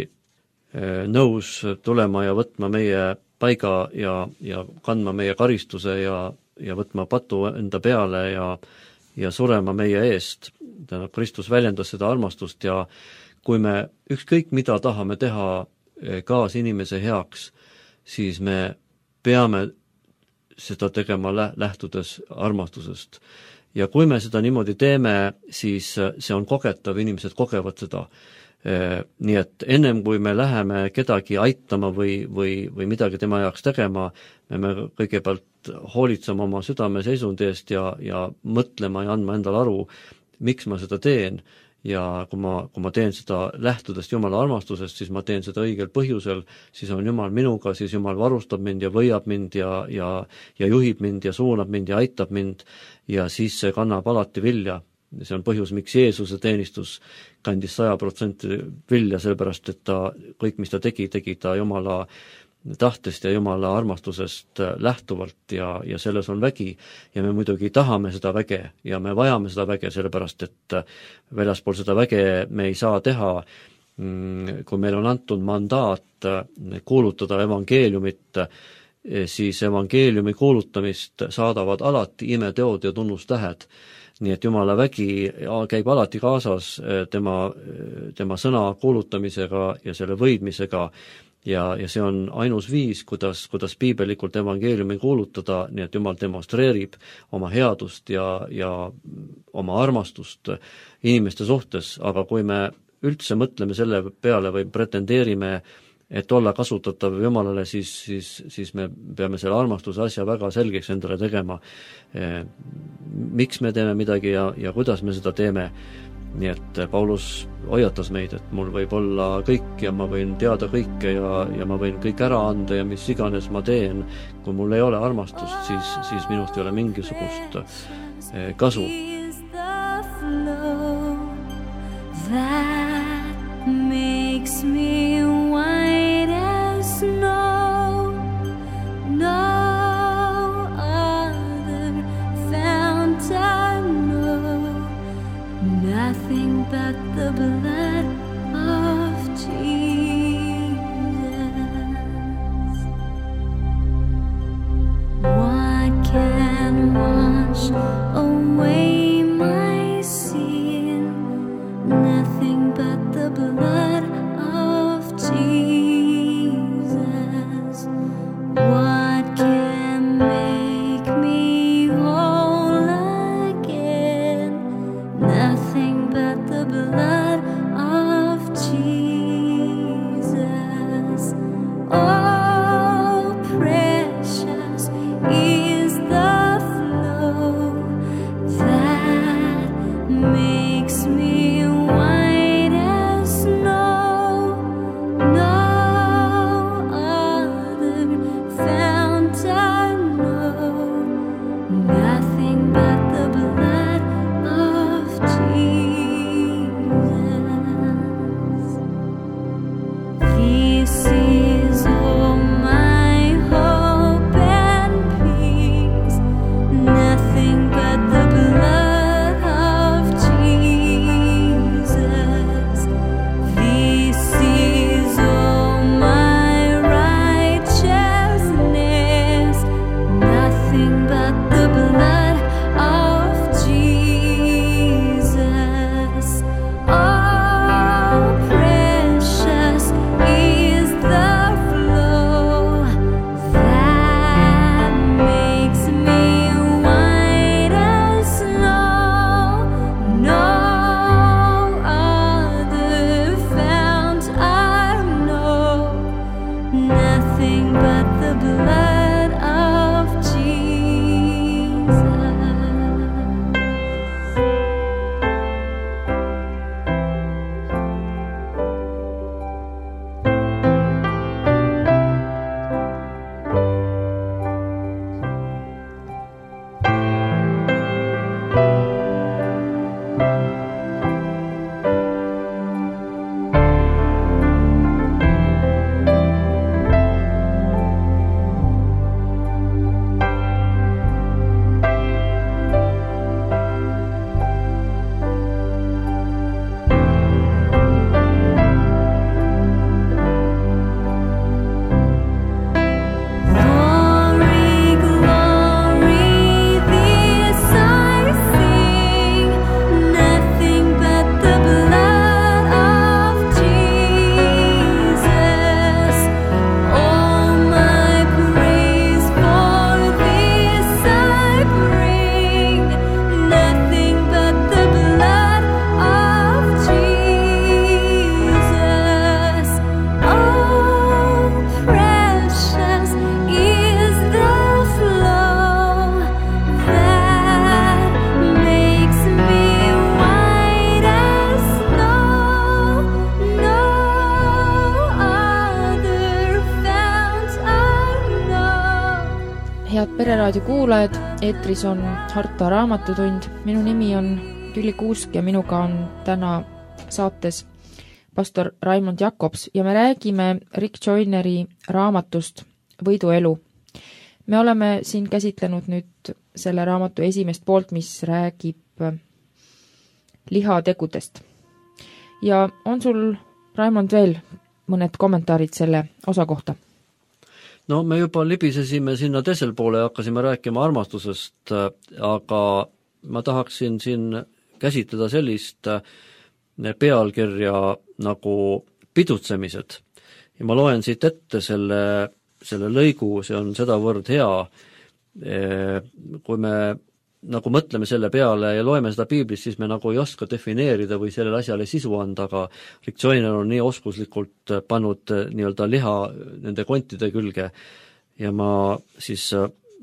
nõus tulema ja võtma meie paiga ja, ja kandma meie karistuse ja, ja võtma patu enda peale ja, ja surema meie eest. Tähendab, Kristus väljendas seda armastust ja kui me ükskõik mida tahame teha kaas inimese heaks, siis me peame seda tegema lähtudes armastusest. Ja kui me seda niimoodi teeme, siis see on kogetav, inimesed kogevad seda. Nii et ennem kui me läheme kedagi aitama või, või, või midagi tema jaoks tegema, me kõigepealt hoolitsema oma südame seisundi eest ja, ja mõtlema ja andma endale aru, miks ma seda teen. Ja kui ma, kui ma teen seda lähtudest Jumala armastusest, siis ma teen seda õigel põhjusel, siis on Jumal minuga, siis Jumal varustab mind ja võiab mind ja, ja, ja juhib mind ja suunab mind ja aitab mind ja siis see kannab alati vilja. See on põhjus, miks Jeesuse teenistus kandis saja protsenti vilja, sellepärast, et ta kõik, mis ta tegi, tegi ta Jumala tahtest ja Jumala armastusest lähtuvalt ja, ja selles on vägi ja me muidugi tahame seda väge ja me vajame seda väge, sellepärast et väljaspool seda väge me ei saa teha, kui meil on antud mandaat kuulutada evangeeliumit, siis evangeeliumi kuulutamist saadavad alati imeteod ja tunnustähed. Nii et Jumala vägi käib alati kaasas tema, tema sõna kuulutamisega ja selle võidmisega ja, ja see on ainus viis, kuidas, kuidas piibelikult evangeeliumi kuulutada, nii et Jumal demonstreerib oma headust ja, ja oma armastust inimeste suhtes, aga kui me üldse mõtleme selle peale või pretendeerime, et olla kasutatav Jumalale, siis, siis, siis me peame selle armastuse asja väga selgeks endale tegema. Miks me teeme midagi ja, ja kuidas me seda teeme. Nii et Paulus hoiatas meid, et mul võib olla kõik ja ma võin teada kõike ja, ja ma võin kõik ära anda ja mis iganes ma teen. Kui mul ei ole armastust, siis, siis minust ei ole mingisugust kasu. That makes me white as snow. No wash away my sin, nothing but the blood of Jesus. What can make me whole again? Nothing but the blood of Jesus. Oh, precious is the flow that makes me white as snow. No other fount I know, nothing but the blood of Jesus. This is all my hope and peace, nothing but the blood of Jesus. This is all my righteousness, nothing but the blood of Jesus. Oh, precious is the flow that makes me white as snow. No other fount I know, nothing but the blood of Jesus. Glory, glory, this I sing, nothing but the blood of Jesus. All my praise for this I bring, nothing but the blood of Jesus. Oh, precious is the flow that makes me white as snow. No other fount I know. head Pereraadio kuulajad, eetris on Harta raamatutund. Minu nimi on Külli Kuusk ja minuga on täna saates pastor Raimond Jakobs ja me räägime Rick Joyneri raamatust Võiduelu. Me oleme siin käsitlenud nüüd selle raamatu esimest poolt, mis räägib lihategudest. Ja on sul, Raimond, veel mõned kommentaarid selle osa kohta? No me juba libisesime sinna teisel poole ja hakkasime rääkima armastusest, aga ma tahaksin siin käsitleda sellist pealkirja nagu pidutsemised. Ja ma loen siit ette selle, selle lõigu, see on sedavõrd hea, kui me nagu mõtleme selle peale ja loeme seda piiblist, siis me nagu ei oska defineerida või sellele asjale sisu anda, aga Rick Joyner on nii oskuslikult pannud nii-öelda liha nende kontide külge ja ma siis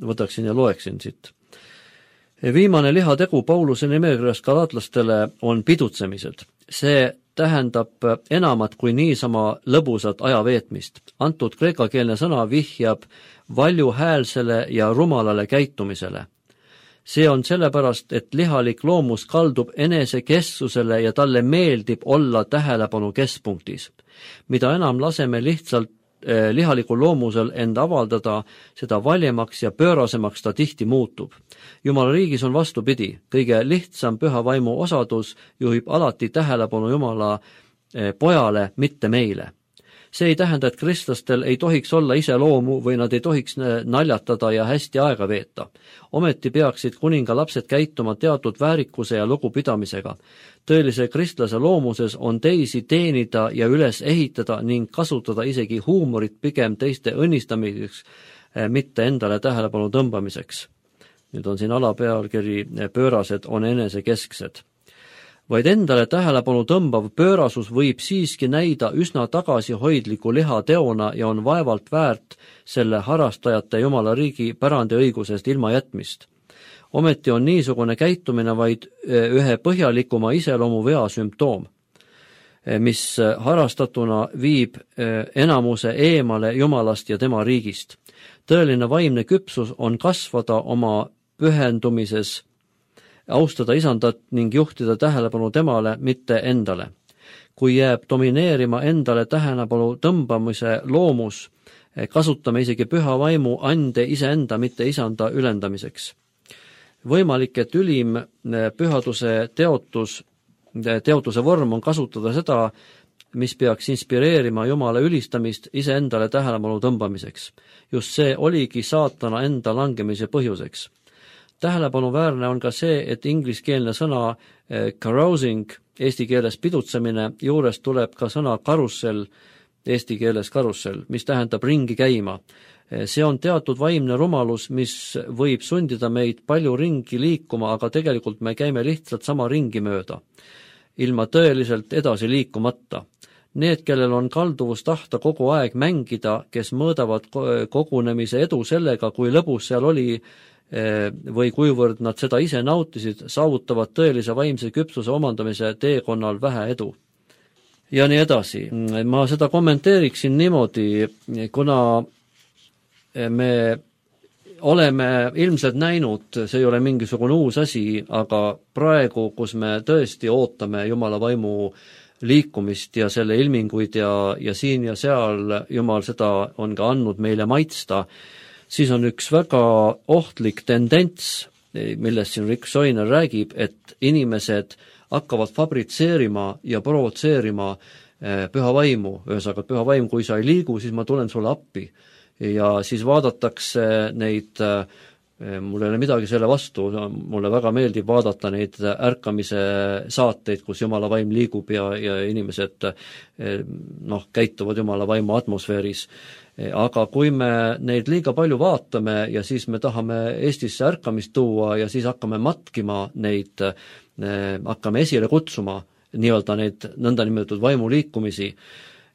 võtaksin ja loeksin siit. Viimane lihategu Pauluse nimekirjas galaatlastele on pidutsemised. See tähendab enamat kui niisama lõbusat ajaveetmist. Antud kreekakeelne sõna vihjab valjuhäälsele ja rumalale käitumisele. See on sellepärast, et lihalik loomus kaldub enesekesksusele ja talle meeldib olla tähelepanu keskpunktis. Mida enam laseme lihtsalt eh, lihalikul loomusel end avaldada, seda valjemaks ja pöörasemaks ta tihti muutub. Jumala riigis on vastupidi. Kõige lihtsam püha vaimu osadus juhib alati tähelepanu Jumala eh, pojale, mitte meile. See ei tähenda, et kristlastel ei tohiks olla iseloomu või nad ei tohiks naljatada ja hästi aega veeta. Ometi peaksid kuninga lapsed käituma teatud väärikuse ja lugupidamisega. Tõelise kristlase loomuses on teisi teenida ja üles ehitada ning kasutada isegi huumorit pigem teiste õnnistamiseks, mitte endale tähelepanu tõmbamiseks. Nüüd on siin alapealkiri pöörased on enesekesksed. Vaid endale tähelepanu tõmbav pöörasus võib siiski näida üsna tagasihoidliku lihateona ja on vaevalt väärt selle harrastajate Jumala riigi pärandiõigusest ilma jätmist. Ometi on niisugune käitumine vaid ühe põhjalikuma iseloomu vea sümptoom, mis harrastatuna viib enamuse eemale Jumalast ja tema riigist. Tõeline vaimne küpsus on kasvada oma pühendumises, austada isandat ning juhtida tähelepanu temale, mitte endale. Kui jääb domineerima endale tähelepanu tõmbamise loomus, kasutame isegi püha vaimu ande iseenda, mitte isanda ülendamiseks. Võimalik, et ülim pühaduse teotus, teotuse vorm on kasutada seda, mis peaks inspireerima Jumala ülistamist iseendale tähelepanu tõmbamiseks. Just see oligi saatana enda langemise põhjuseks. Tähelepanuväärne on ka see, et ingliskeelne sõna carousing, eesti keeles pidutsemine, juures tuleb ka sõna karussell, eesti keeles karussell, mis tähendab ringi käima. See on teatud vaimne rumalus, mis võib sundida meid palju ringi liikuma, aga tegelikult me käime lihtsalt sama ringi mööda, ilma tõeliselt edasi liikumata. Need, kellel on kalduvus tahta kogu aeg mängida, kes mõõdavad kogunemise edu sellega, kui lõbus seal oli, või kuivõrd nad seda ise nautisid, saavutavad tõelise vaimse küpsuse omandamise teekonnal vähe edu. Ja nii edasi. Ma seda kommenteeriksin niimoodi, kuna me oleme ilmselt näinud, see ei ole mingisugune uus asi, aga praegu, kus me tõesti ootame Jumala vaimu liikumist ja selle ilminguid ja, ja siin ja seal Jumal seda on ka andnud meile maitsta, siis on üks väga ohtlik tendents, millest siin Rick Joyner räägib, et inimesed hakkavad fabritseerima ja provotseerima püha vaimu, ühesõnaga püha vaim, kui sa ei liigu, siis ma tulen sulle appi. Ja siis vaadatakse neid, mul ei ole midagi selle vastu, mulle väga meeldib vaadata neid ärkamise saateid, kus Jumala vaim liigub ja, ja inimesed noh, käituvad Jumala vaimu atmosfääris. Aga kui me neid liiga palju vaatame ja siis me tahame Eestisse ärkamist tuua ja siis hakkame matkima neid, hakkame esile kutsuma nii-öelda neid nõndanimetatud vaimuliikumisi.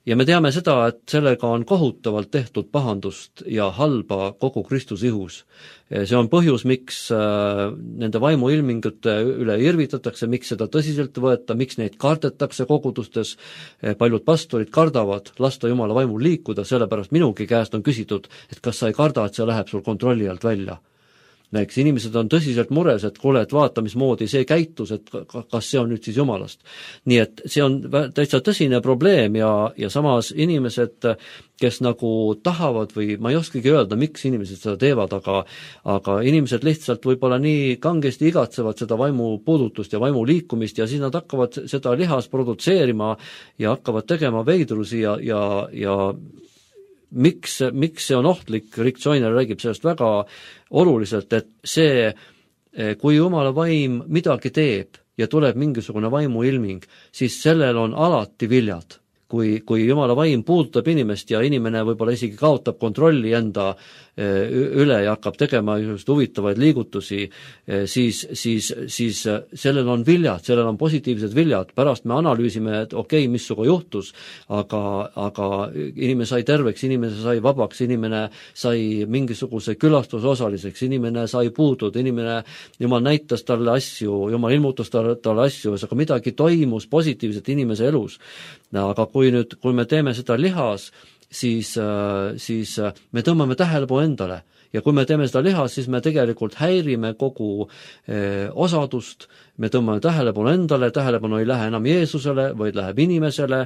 Ja me teame seda, et sellega on kohutavalt tehtud pahandust ja halba kogu Kristuse ihus. See on põhjus, miks nende vaimuilmingute üle irvitatakse, miks seda tõsiselt võeta, miks neid kardetakse kogudustes. Paljud pastorid kardavad lasta Jumala vaimul liikuda, sellepärast minugi käest on küsitud, et kas sa ei karda, et see läheb sul kontrolli alt välja. Eks inimesed on tõsiselt mures, et kuule, et vaata, mismoodi see käitus, et kas see on nüüd siis Jumalast. Nii et see on täitsa tõsine probleem ja, ja samas inimesed, kes nagu tahavad või ma ei oskagi öelda, miks inimesed seda teevad, aga, aga inimesed lihtsalt võib-olla nii kangesti igatsevad seda vaimu puudutust ja vaimu liikumist ja siis nad hakkavad seda lihas produtseerima ja hakkavad tegema veidrusi ja, ja, ja Miks, miks see on ohtlik, Rick Joyner räägib sellest väga oluliselt, et see, kui Jumala vaim midagi teeb ja tuleb mingisugune vaimuilming, siis sellel on alati viljad. Kui, kui Jumala vaim puudutab inimest ja inimene võib-olla isegi kaotab kontrolli enda üle ja hakkab tegema just huvitavaid liigutusi, siis, siis, siis sellel on viljad, sellel on positiivsed viljad. Pärast me analüüsime, et okei, okay, missuga juhtus, aga, aga inimene sai terveks, inimene sai vabaks, inimene sai mingisuguse külastuse osaliseks, inimene sai puudud, inimene, Jumal näitas talle asju, Jumal ilmutas talle, talle asju, aga midagi toimus positiivselt inimese elus. Aga kui nüüd, kui me teeme seda lihas, siis, siis me tõmbame tähelepanu endale ja kui me teeme seda lihas, siis me tegelikult häirime kogu eh, osadust, me tõmbame tähelepanu endale, tähelepanu ei lähe enam Jeesusele, vaid läheb inimesele,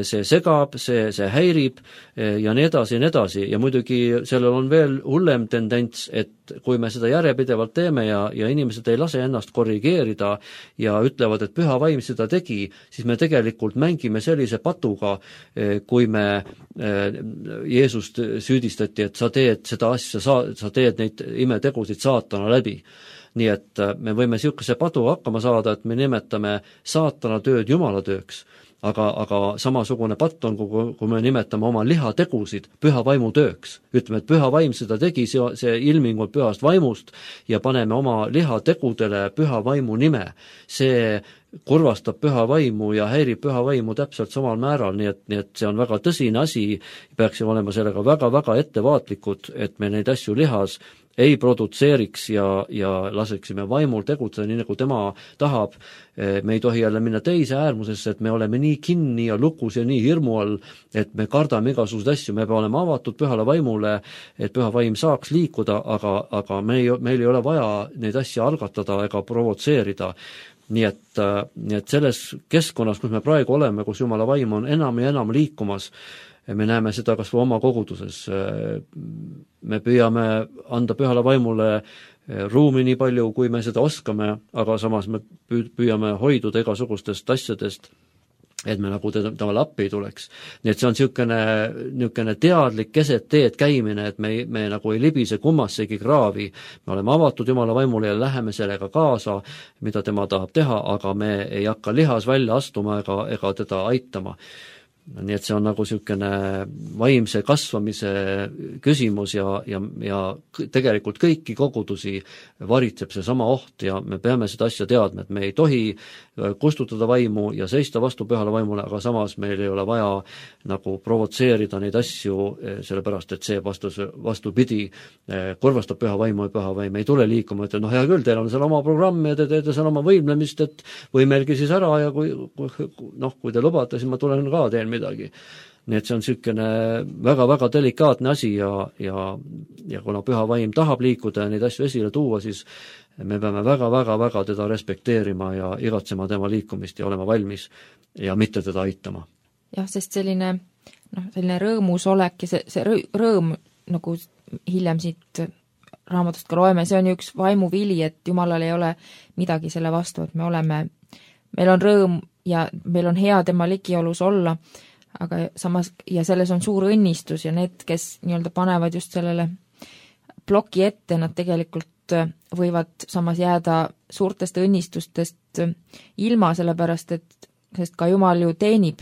see segab, see, see häirib eh, ja nii edasi ja nii edasi ja muidugi sellel on veel hullem tendents, et et kui me seda järjepidevalt teeme ja, ja inimesed ei lase ennast korrigeerida ja ütlevad, et püha vaim seda tegi, siis me tegelikult mängime sellise patuga, kui me Jeesust süüdistati, et sa teed seda asja, sa, sa teed neid imetegusid saatana läbi. Nii et me võime niisuguse patuga hakkama saada, et me nimetame saatana tööd Jumala tööks, aga, aga samasugune patt on, kui me nimetame oma lihategusid püha vaimu tööks. Ütleme, et püha vaim seda tegi, see, see ilming on pühast vaimust ja paneme oma lihategudele püha vaimu nime. See kurvastab püha vaimu ja häirib püha vaimu täpselt samal määral, nii et, nii et see on väga tõsine asi, peaksime olema sellega väga-väga ettevaatlikud, et me neid asju lihas ei produtseeriks ja, ja laseksime vaimul tegutseda nii, nagu tema tahab. Me ei tohi jälle minna teise äärmusesse, et me oleme nii kinni ja lukus ja nii hirmu all, et me kardame igasuguseid asju, me peame olema avatud pühale vaimule, et püha vaim saaks liikuda, aga, aga me ei, meil ei ole vaja neid asju algatada ega provotseerida. Nii et, nii et selles keskkonnas, kus me praegu oleme, kus Jumala vaim on enam ja enam liikumas, me näeme seda kas või oma koguduses. Me püüame anda pühale vaimule ruumi nii palju, kui me seda oskame, aga samas me püüame hoiduda igasugustest asjadest, et me nagu temale appi ei tuleks. Nii et see on niisugune, niisugune teadlik keset teed käimine, et me, me nagu ei libise kummassegi kraavi. Me oleme avatud Jumala vaimule ja läheme sellega kaasa, mida tema tahab teha, aga me ei hakka lihas välja astuma ega, ega teda aitama. Nii et see on nagu niisugune vaimse kasvamise küsimus ja, ja, ja tegelikult kõiki kogudusi varitseb see sama oht ja me peame seda asja teadma, et me ei tohi kustutada vaimu ja seista vastu pühale vaimule, aga samas meil ei ole vaja nagu provotseerida neid asju, sellepärast et see vastus, vastupidi kurvastab püha vaimu ja püha vaim ei tule liikuma, et noh, hea küll, teil on seal oma programm ja te teete seal oma võimlemist, et võimelgi siis ära ja kui, noh, kui te lubate, siis ma tulen ka teen midagi. Nii et see on niisugune väga-väga delikaatne asi ja, ja, ja kuna püha vaim tahab liikuda ja neid asju esile tuua, siis me peame väga-väga-väga teda respekteerima ja igatsema tema liikumist ja olema valmis ja mitte teda aitama. Jah, sest selline, noh, selline rõõmus olek ja see, see rõõm, nagu hiljem siit raamatust ka loeme, see on ju üks vaimuvili, et Jumalal ei ole midagi selle vastu, et me oleme, meil on rõõm ja meil on hea tema ligiolus olla, aga samas, ja selles on suur õnnistus ja need, kes nii-öelda panevad just sellele ploki ette, nad tegelikult võivad samas jääda suurtest õnnistustest ilma, sellepärast et sest ka Jumal ju teenib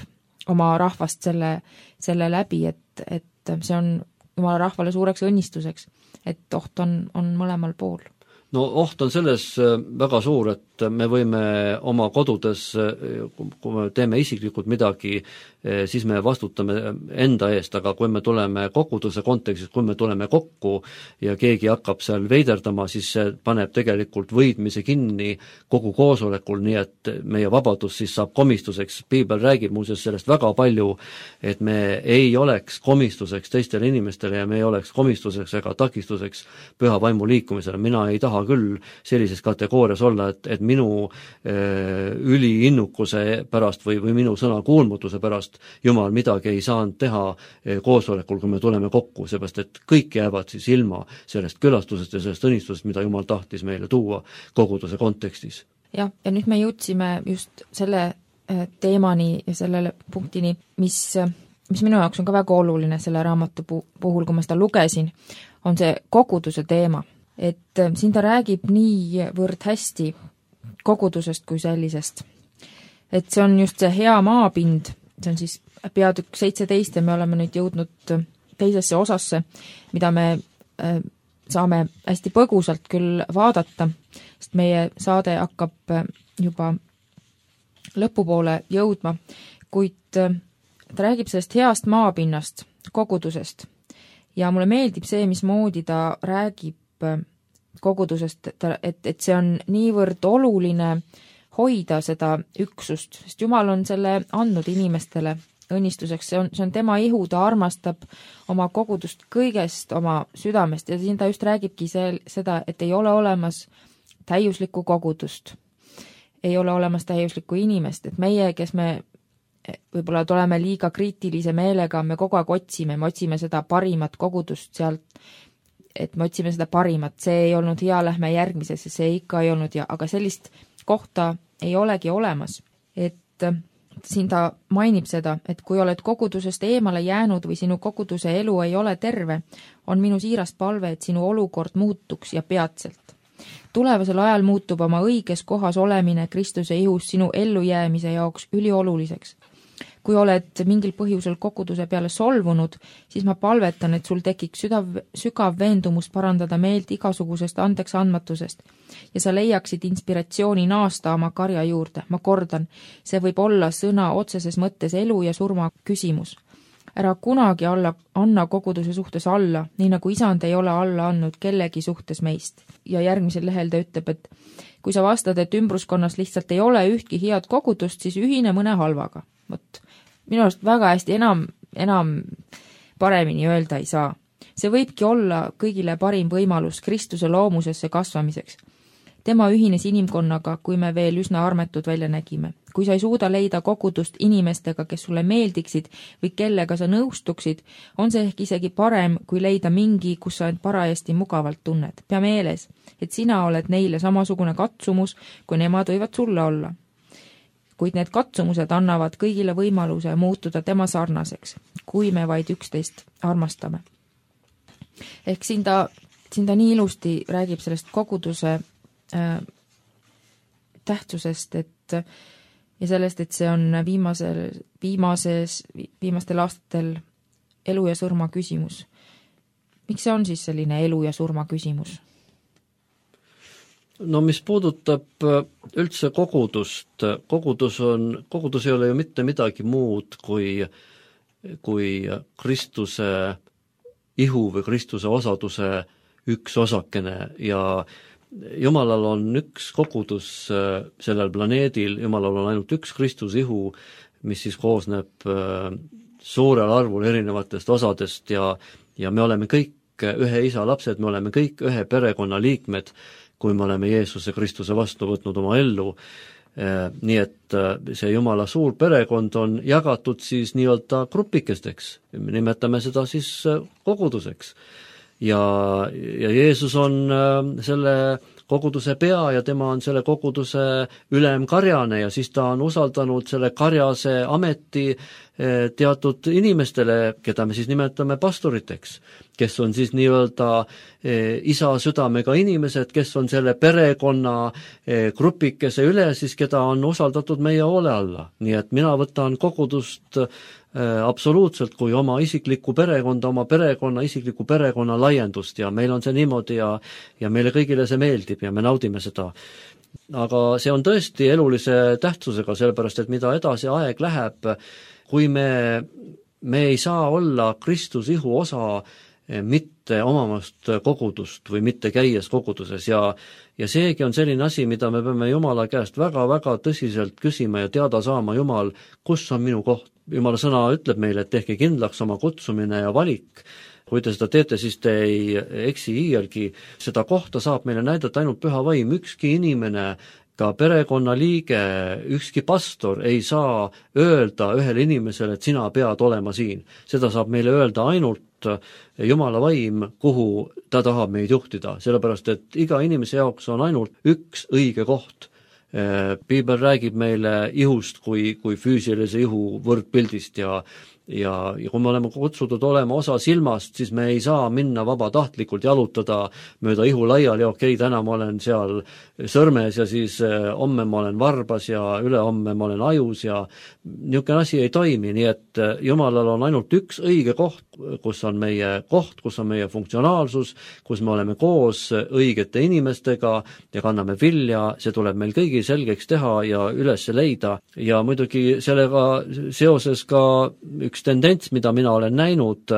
oma rahvast selle, selle läbi, et, et see on Jumala rahvale suureks õnnistuseks, et oht on, on mõlemal pool. No oht on selles väga suur, et me võime oma kodudes, kui me teeme isiklikult midagi, siis me vastutame enda eest, aga kui me tuleme koguduse kontekstis, kui me tuleme kokku ja keegi hakkab seal veiderdama, siis see paneb tegelikult võidmise kinni kogu koosolekul, nii et meie vabadus siis saab komistuseks. Piibel räägib muuseas sellest väga palju, et me ei oleks komistuseks teistele inimestele ja me ei oleks komistuseks ega takistuseks püha vaimu liikumisele. Mina ei taha küll sellises kategoorias olla, et, et minu äh, üliinnukuse pärast või, või minu sõna kuulmutuse pärast Jumal midagi ei saanud teha äh, koosolekul, kui me tuleme kokku, seepärast et kõik jäävad siis ilma sellest külastusest ja sellest õnnistusest, mida Jumal tahtis meile tuua koguduse kontekstis. Jah, ja nüüd me jõudsime just selle äh, teemani ja sellele punktini, mis, mis minu jaoks on ka väga oluline selle raamatu puhul, kui ma seda lugesin, on see koguduse teema. Et siin ta räägib niivõrd hästi kogudusest kui sellisest. Et see on just see hea maapind, see on siis peatükk seitseteist ja me oleme nüüd jõudnud teisesse osasse, mida me saame hästi põgusalt küll vaadata, sest meie saade hakkab juba lõpupoole jõudma, kuid ta räägib sellest heast maapinnast, kogudusest ja mulle meeldib see, mismoodi ta räägib kogudusest, et, et see on niivõrd oluline hoida seda üksust, sest Jumal on selle andnud inimestele õnnistuseks, see on, see on tema ihu, ta armastab oma kogudust kõigest oma südamest ja siin ta just räägibki see, seda, et ei ole olemas täiuslikku kogudust, ei ole olemas täiuslikku inimest, et meie, kes me võib-olla tuleme liiga kriitilise meelega, me kogu aeg otsime, me otsime seda parimat kogudust sealt, et me otsime seda parimat, see ei olnud hea, lähme järgmisesse, see ikka ei olnud hea, aga sellist kohta ei olegi olemas. Et siin ta mainib seda, et kui oled kogudusest eemale jäänud või sinu koguduse elu ei ole terve, on minu siirast palve, et sinu olukord muutuks ja peatselt. Tulevasel ajal muutub oma õiges kohas olemine Kristuse ihus sinu ellujäämise jaoks ülioluliseks. Kui oled mingil põhjusel koguduse peale solvunud, siis ma palvetan, et sul tekiks südav, sügav veendumus parandada meelt igasugusest andeks andmatusest ja sa leiaksid inspiratsiooni naasta oma karja juurde. Ma kordan, see võib olla sõna otseses mõttes elu ja surma küsimus. Ära kunagi alla, anna koguduse suhtes alla, nii nagu isand ei ole alla andnud kellegi suhtes meist. Ja järgmisel lehel ta ütleb, et kui sa vastad, et ümbruskonnas lihtsalt ei ole ühtki head kogudust, siis ühine mõne halvaga. Võt, minu arust väga hästi enam, enam paremini öelda ei saa. See võibki olla kõigile parim võimalus Kristuse loomusesse kasvamiseks. Tema ühines inimkonnaga, kui me veel üsna armetud välja nägime. Kui sa ei suuda leida kogudust inimestega, kes sulle meeldiksid või kellega sa nõustuksid, on see ehk isegi parem, kui leida mingi, kus sa end parajasti mugavalt tunned. Pea meeles, et sina oled neile samasugune katsumus, kui nemad võivad sulle olla. Kuid need katsumused annavad kõigile võimaluse muutuda tema sarnaseks, kui me vaid üksteist armastame. Ehk siin ta, siin ta nii ilusti räägib sellest koguduse äh, tähtsusest, et ja sellest, et see on viimasel, viimases, viimastel aastatel elu ja surma küsimus. Miks see on siis selline elu ja surma küsimus? No mis puudutab üldse kogudust, kogudus on, kogudus ei ole ju mitte midagi muud kui, kui Kristuse ihu või Kristuse osaduse üks osakene ja Jumalal on üks kogudus sellel planeedil, Jumalal on ainult üks Kristuse ihu, mis siis koosneb suurel arvul erinevatest osadest ja, ja me oleme kõik ühe isa lapsed, me oleme kõik ühe perekonna liikmed, kui me oleme Jeesuse Kristuse vastu võtnud oma ellu. Nii et see Jumala suur perekond on jagatud siis nii-öelda grupikesteks, me nimetame seda siis koguduseks. Ja, ja Jeesus on selle koguduse pea ja tema on selle koguduse ülemkarjane ja siis ta on usaldanud selle karjase ameti teatud inimestele, keda me siis nimetame pastoriteks, kes on siis nii-öelda isa südamega inimesed, kes on selle perekonna grupikese üle, siis keda on usaldatud meie hoole alla. Nii et mina võtan kogudust absoluutselt kui oma isiklikku perekonda, oma perekonna, isiklikku perekonna laiendust ja meil on see niimoodi ja, ja meile kõigile see meeldib ja me naudime seda. Aga see on tõesti elulise tähtsusega, sellepärast et mida edasi aeg läheb, kui me, me ei saa olla Kristus ihu osa mitte omamast kogudust või mitte käies koguduses ja, ja seegi on selline asi, mida me peame Jumala käest väga-väga tõsiselt küsima ja teada saama, Jumal, kus on minu koht? Jumala sõna ütleb meile, et tehke kindlaks oma kutsumine ja valik. Kui te seda teete, siis te ei eksi iialgi. Seda kohta saab meile näidata ainult püha vaim. Ükski inimene, ka perekonna liige, ükski pastor ei saa öelda ühele inimesele, et sina pead olema siin. Seda saab meile öelda ainult Jumala vaim, kuhu ta tahab meid juhtida, sellepärast et iga inimese jaoks on ainult üks õige koht. Piibel räägib meile ihust kui, kui füüsilise ihu võrdpildist ja, ja, ja kui me oleme kutsutud olema osa silmast, siis me ei saa minna vabatahtlikult jalutada mööda ihu laiali ja okei, täna ma olen seal sõrmes ja siis homme ma olen varbas ja ülehomme ma olen ajus ja niisugune asi ei toimi, nii et Jumalal on ainult üks õige koht, kus on meie koht, kus on meie funktsionaalsus, kus me oleme koos õigete inimestega ja kanname vilja, see tuleb meil kõigi selgeks teha ja üles leida ja muidugi sellega seoses ka üks tendents, mida mina olen näinud,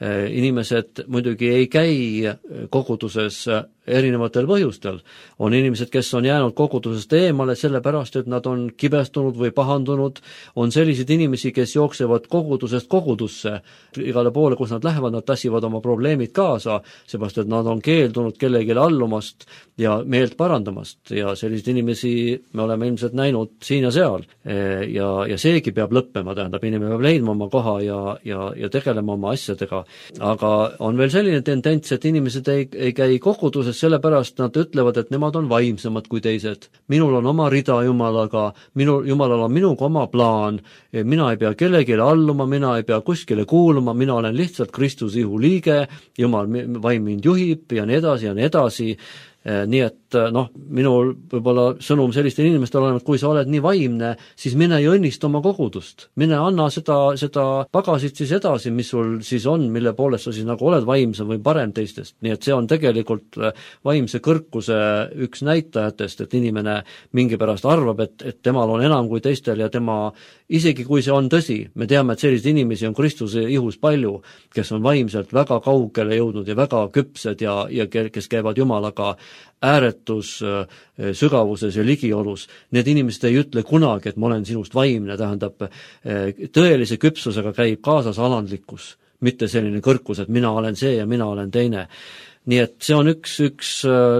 inimesed muidugi ei käi koguduses erinevatel põhjustel. On inimesed, kes on jäänud kogudusest eemale sellepärast, et nad on kibestunud või pahandunud, on selliseid inimesi, kes jooksevad kogudusest kogudusse, igale poole, kus nad lähevad, nad tassivad oma probleemid kaasa, seepärast, et nad on keeldunud kellelegi allumast ja meelt parandamast ja selliseid inimesi me oleme ilmselt näinud siin ja seal ja, ja seegi peab lõppema, tähendab, inimene peab leidma oma koha ja, ja, ja tegelema oma asjadega aga on veel selline tendents, et inimesed ei, ei käi koguduses, sellepärast nad ütlevad, et nemad on vaimsemad kui teised. minul on oma rida Jumalaga, minu, Jumalal on minuga oma plaan, mina ei pea kellelegi alluma, mina ei pea kuskile kuuluma, mina olen lihtsalt Kristuse ihu liige, Jumal vaim mind juhib ja nii edasi ja nii edasi. Nii et noh, minul võib-olla sõnum sellistele inimestele on, et kui sa oled nii vaimne, siis mine ja õnnista oma kogudust. Mine anna seda, seda pagasit siis edasi, mis sul siis on, mille poolest sa siis nagu oled vaimsem või parem teistest. Nii et see on tegelikult vaimse kõrkuse üks näitajatest, et inimene mingi pärast arvab, et, et temal on enam kui teistel ja tema, isegi kui see on tõsi, me teame, et selliseid inimesi on Kristuse ihus palju, kes on vaimselt väga kaugele jõudnud ja väga küpsed ja, ja kes käivad Jumalaga ääretus sügavuses ja ligiolus. Need inimesed ei ütle kunagi, et ma olen sinust vaimne, tähendab, tõelise küpsusega käib kaasas alandlikkus, mitte selline kõrkus, et mina olen see ja mina olen teine. Nii et see on üks, üks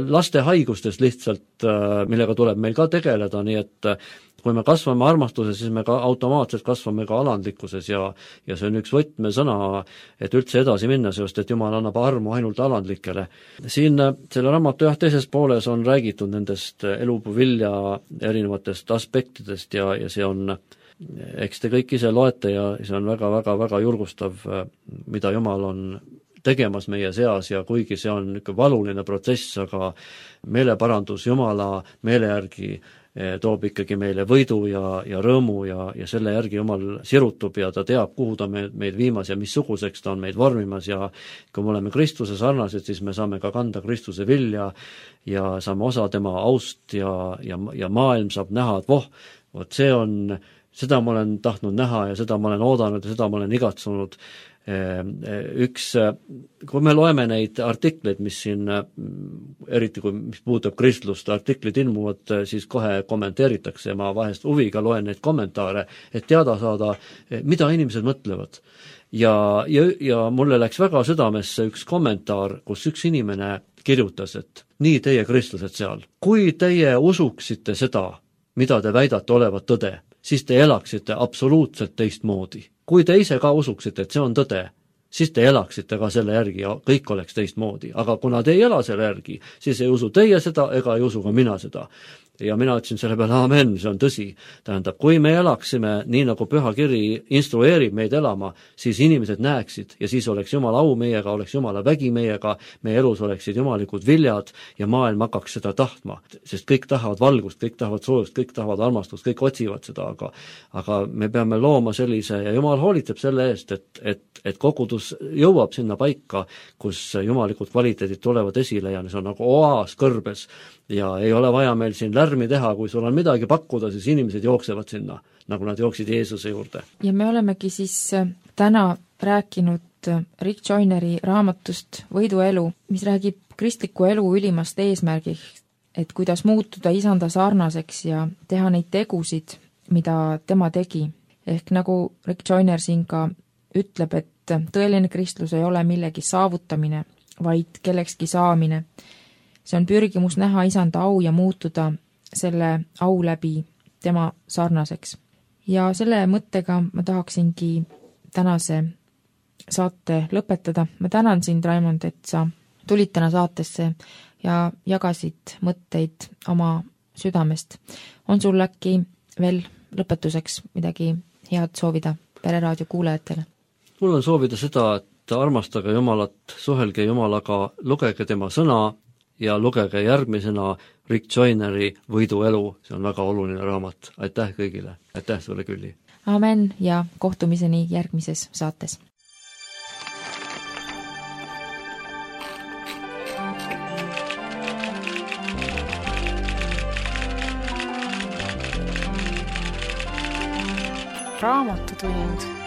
laste haigustest lihtsalt, millega tuleb meil ka tegeleda, nii et kui me kasvame armastuses, siis me ka automaatselt kasvame ka alandlikkuses ja, ja see on üks võtmesõna, et üldse edasi minna, sest et Jumal annab armu ainult alandlikele. Siin selle raamatu jah, teises pooles on räägitud nendest elupuu vilja erinevatest aspektidest ja, ja see on, eks te kõik ise loete ja see on väga, väga, väga julgustav, mida Jumal on tegemas meie seas ja kuigi see on ikka valuline protsess, aga meeleparandus Jumala meele järgi toob ikkagi meile võidu ja, ja rõõmu ja, ja selle järgi Jumal sirutub ja ta teab, kuhu ta meid, meid viimas ja missuguseks ta on meid vormimas ja kui me oleme Kristuse sarnased, siis me saame ka kanda Kristuse vilja ja saame osa tema aust ja, ja, ja maailm saab näha, et voh, vot see on, seda ma olen tahtnud näha ja seda ma olen oodanud ja seda ma olen igatsunud. Üks, kui me loeme neid artikleid, mis siin, eriti kui mis puudutab kristlust, artiklid ilmuvad, siis kohe kommenteeritakse ja ma vahest huviga loen neid kommentaare, et teada saada, mida inimesed mõtlevad. Ja, ja, ja mulle läks väga südamesse üks kommentaar, kus üks inimene kirjutas, et nii teie kristlased seal, kui teie usuksite seda, mida te väidate olevat tõde, siis te elaksite absoluutselt teistmoodi. Kui te ise ka usuksite, et see on tõde, siis te elaksite ka selle järgi ja kõik oleks teistmoodi. Aga kuna te ei ela selle järgi, siis ei usu teie seda ega ei usu ka mina seda. Ja mina ütlesin selle peale, amen, see on tõsi. Tähendab, kui me elaksime nii, nagu Püha Kiri instrueerib meid elama, siis inimesed näeksid ja siis oleks Jumala au meiega, oleks Jumala vägi meiega, meie elus oleksid jumalikud viljad ja maailm hakkaks seda tahtma. Sest kõik tahavad valgust, kõik tahavad soojust, kõik tahavad armastust, kõik otsivad seda, aga, aga me peame looma sellise ja Jumal hoolitseb selle eest, et, et, et kogudus jõuab sinna paika, kus jumalikud kvaliteedid tulevad esile ja see on nagu oaas kõrbes ja ei ole vaja meil siin lärmi teha, kui sul on midagi pakkuda, siis inimesed jooksevad sinna, nagu nad jooksid Jeesuse juurde. Ja me olemegi siis täna rääkinud Rick Joyneri raamatust Võiduelu, mis räägib kristliku elu ülimast eesmärgiks, et kuidas muutuda isanda sarnaseks ja teha neid tegusid, mida tema tegi. Ehk nagu Rick Joyner siin ka ütleb, et tõeline kristlus ei ole millegi saavutamine, vaid kellekski saamine. See on pürgimus näha isanda au ja muutuda selle au läbi tema sarnaseks. Ja selle mõttega ma tahaksingi tänase saate lõpetada. Ma tänan sind, Raimond, et sa tulid täna saatesse ja jagasid mõtteid oma südamest. On sul äkki veel lõpetuseks midagi head soovida Pereraadio kuulajatele? Mul on soovida seda, et armastage Jumalat, suhelge Jumalaga, lugege tema sõna ja lugege järgmisena Rick Joyneri Võiduelu, see on väga oluline raamat. Aitäh kõigile, aitäh sulle, Külli! Amen ja kohtumiseni järgmises saates. Raamatutund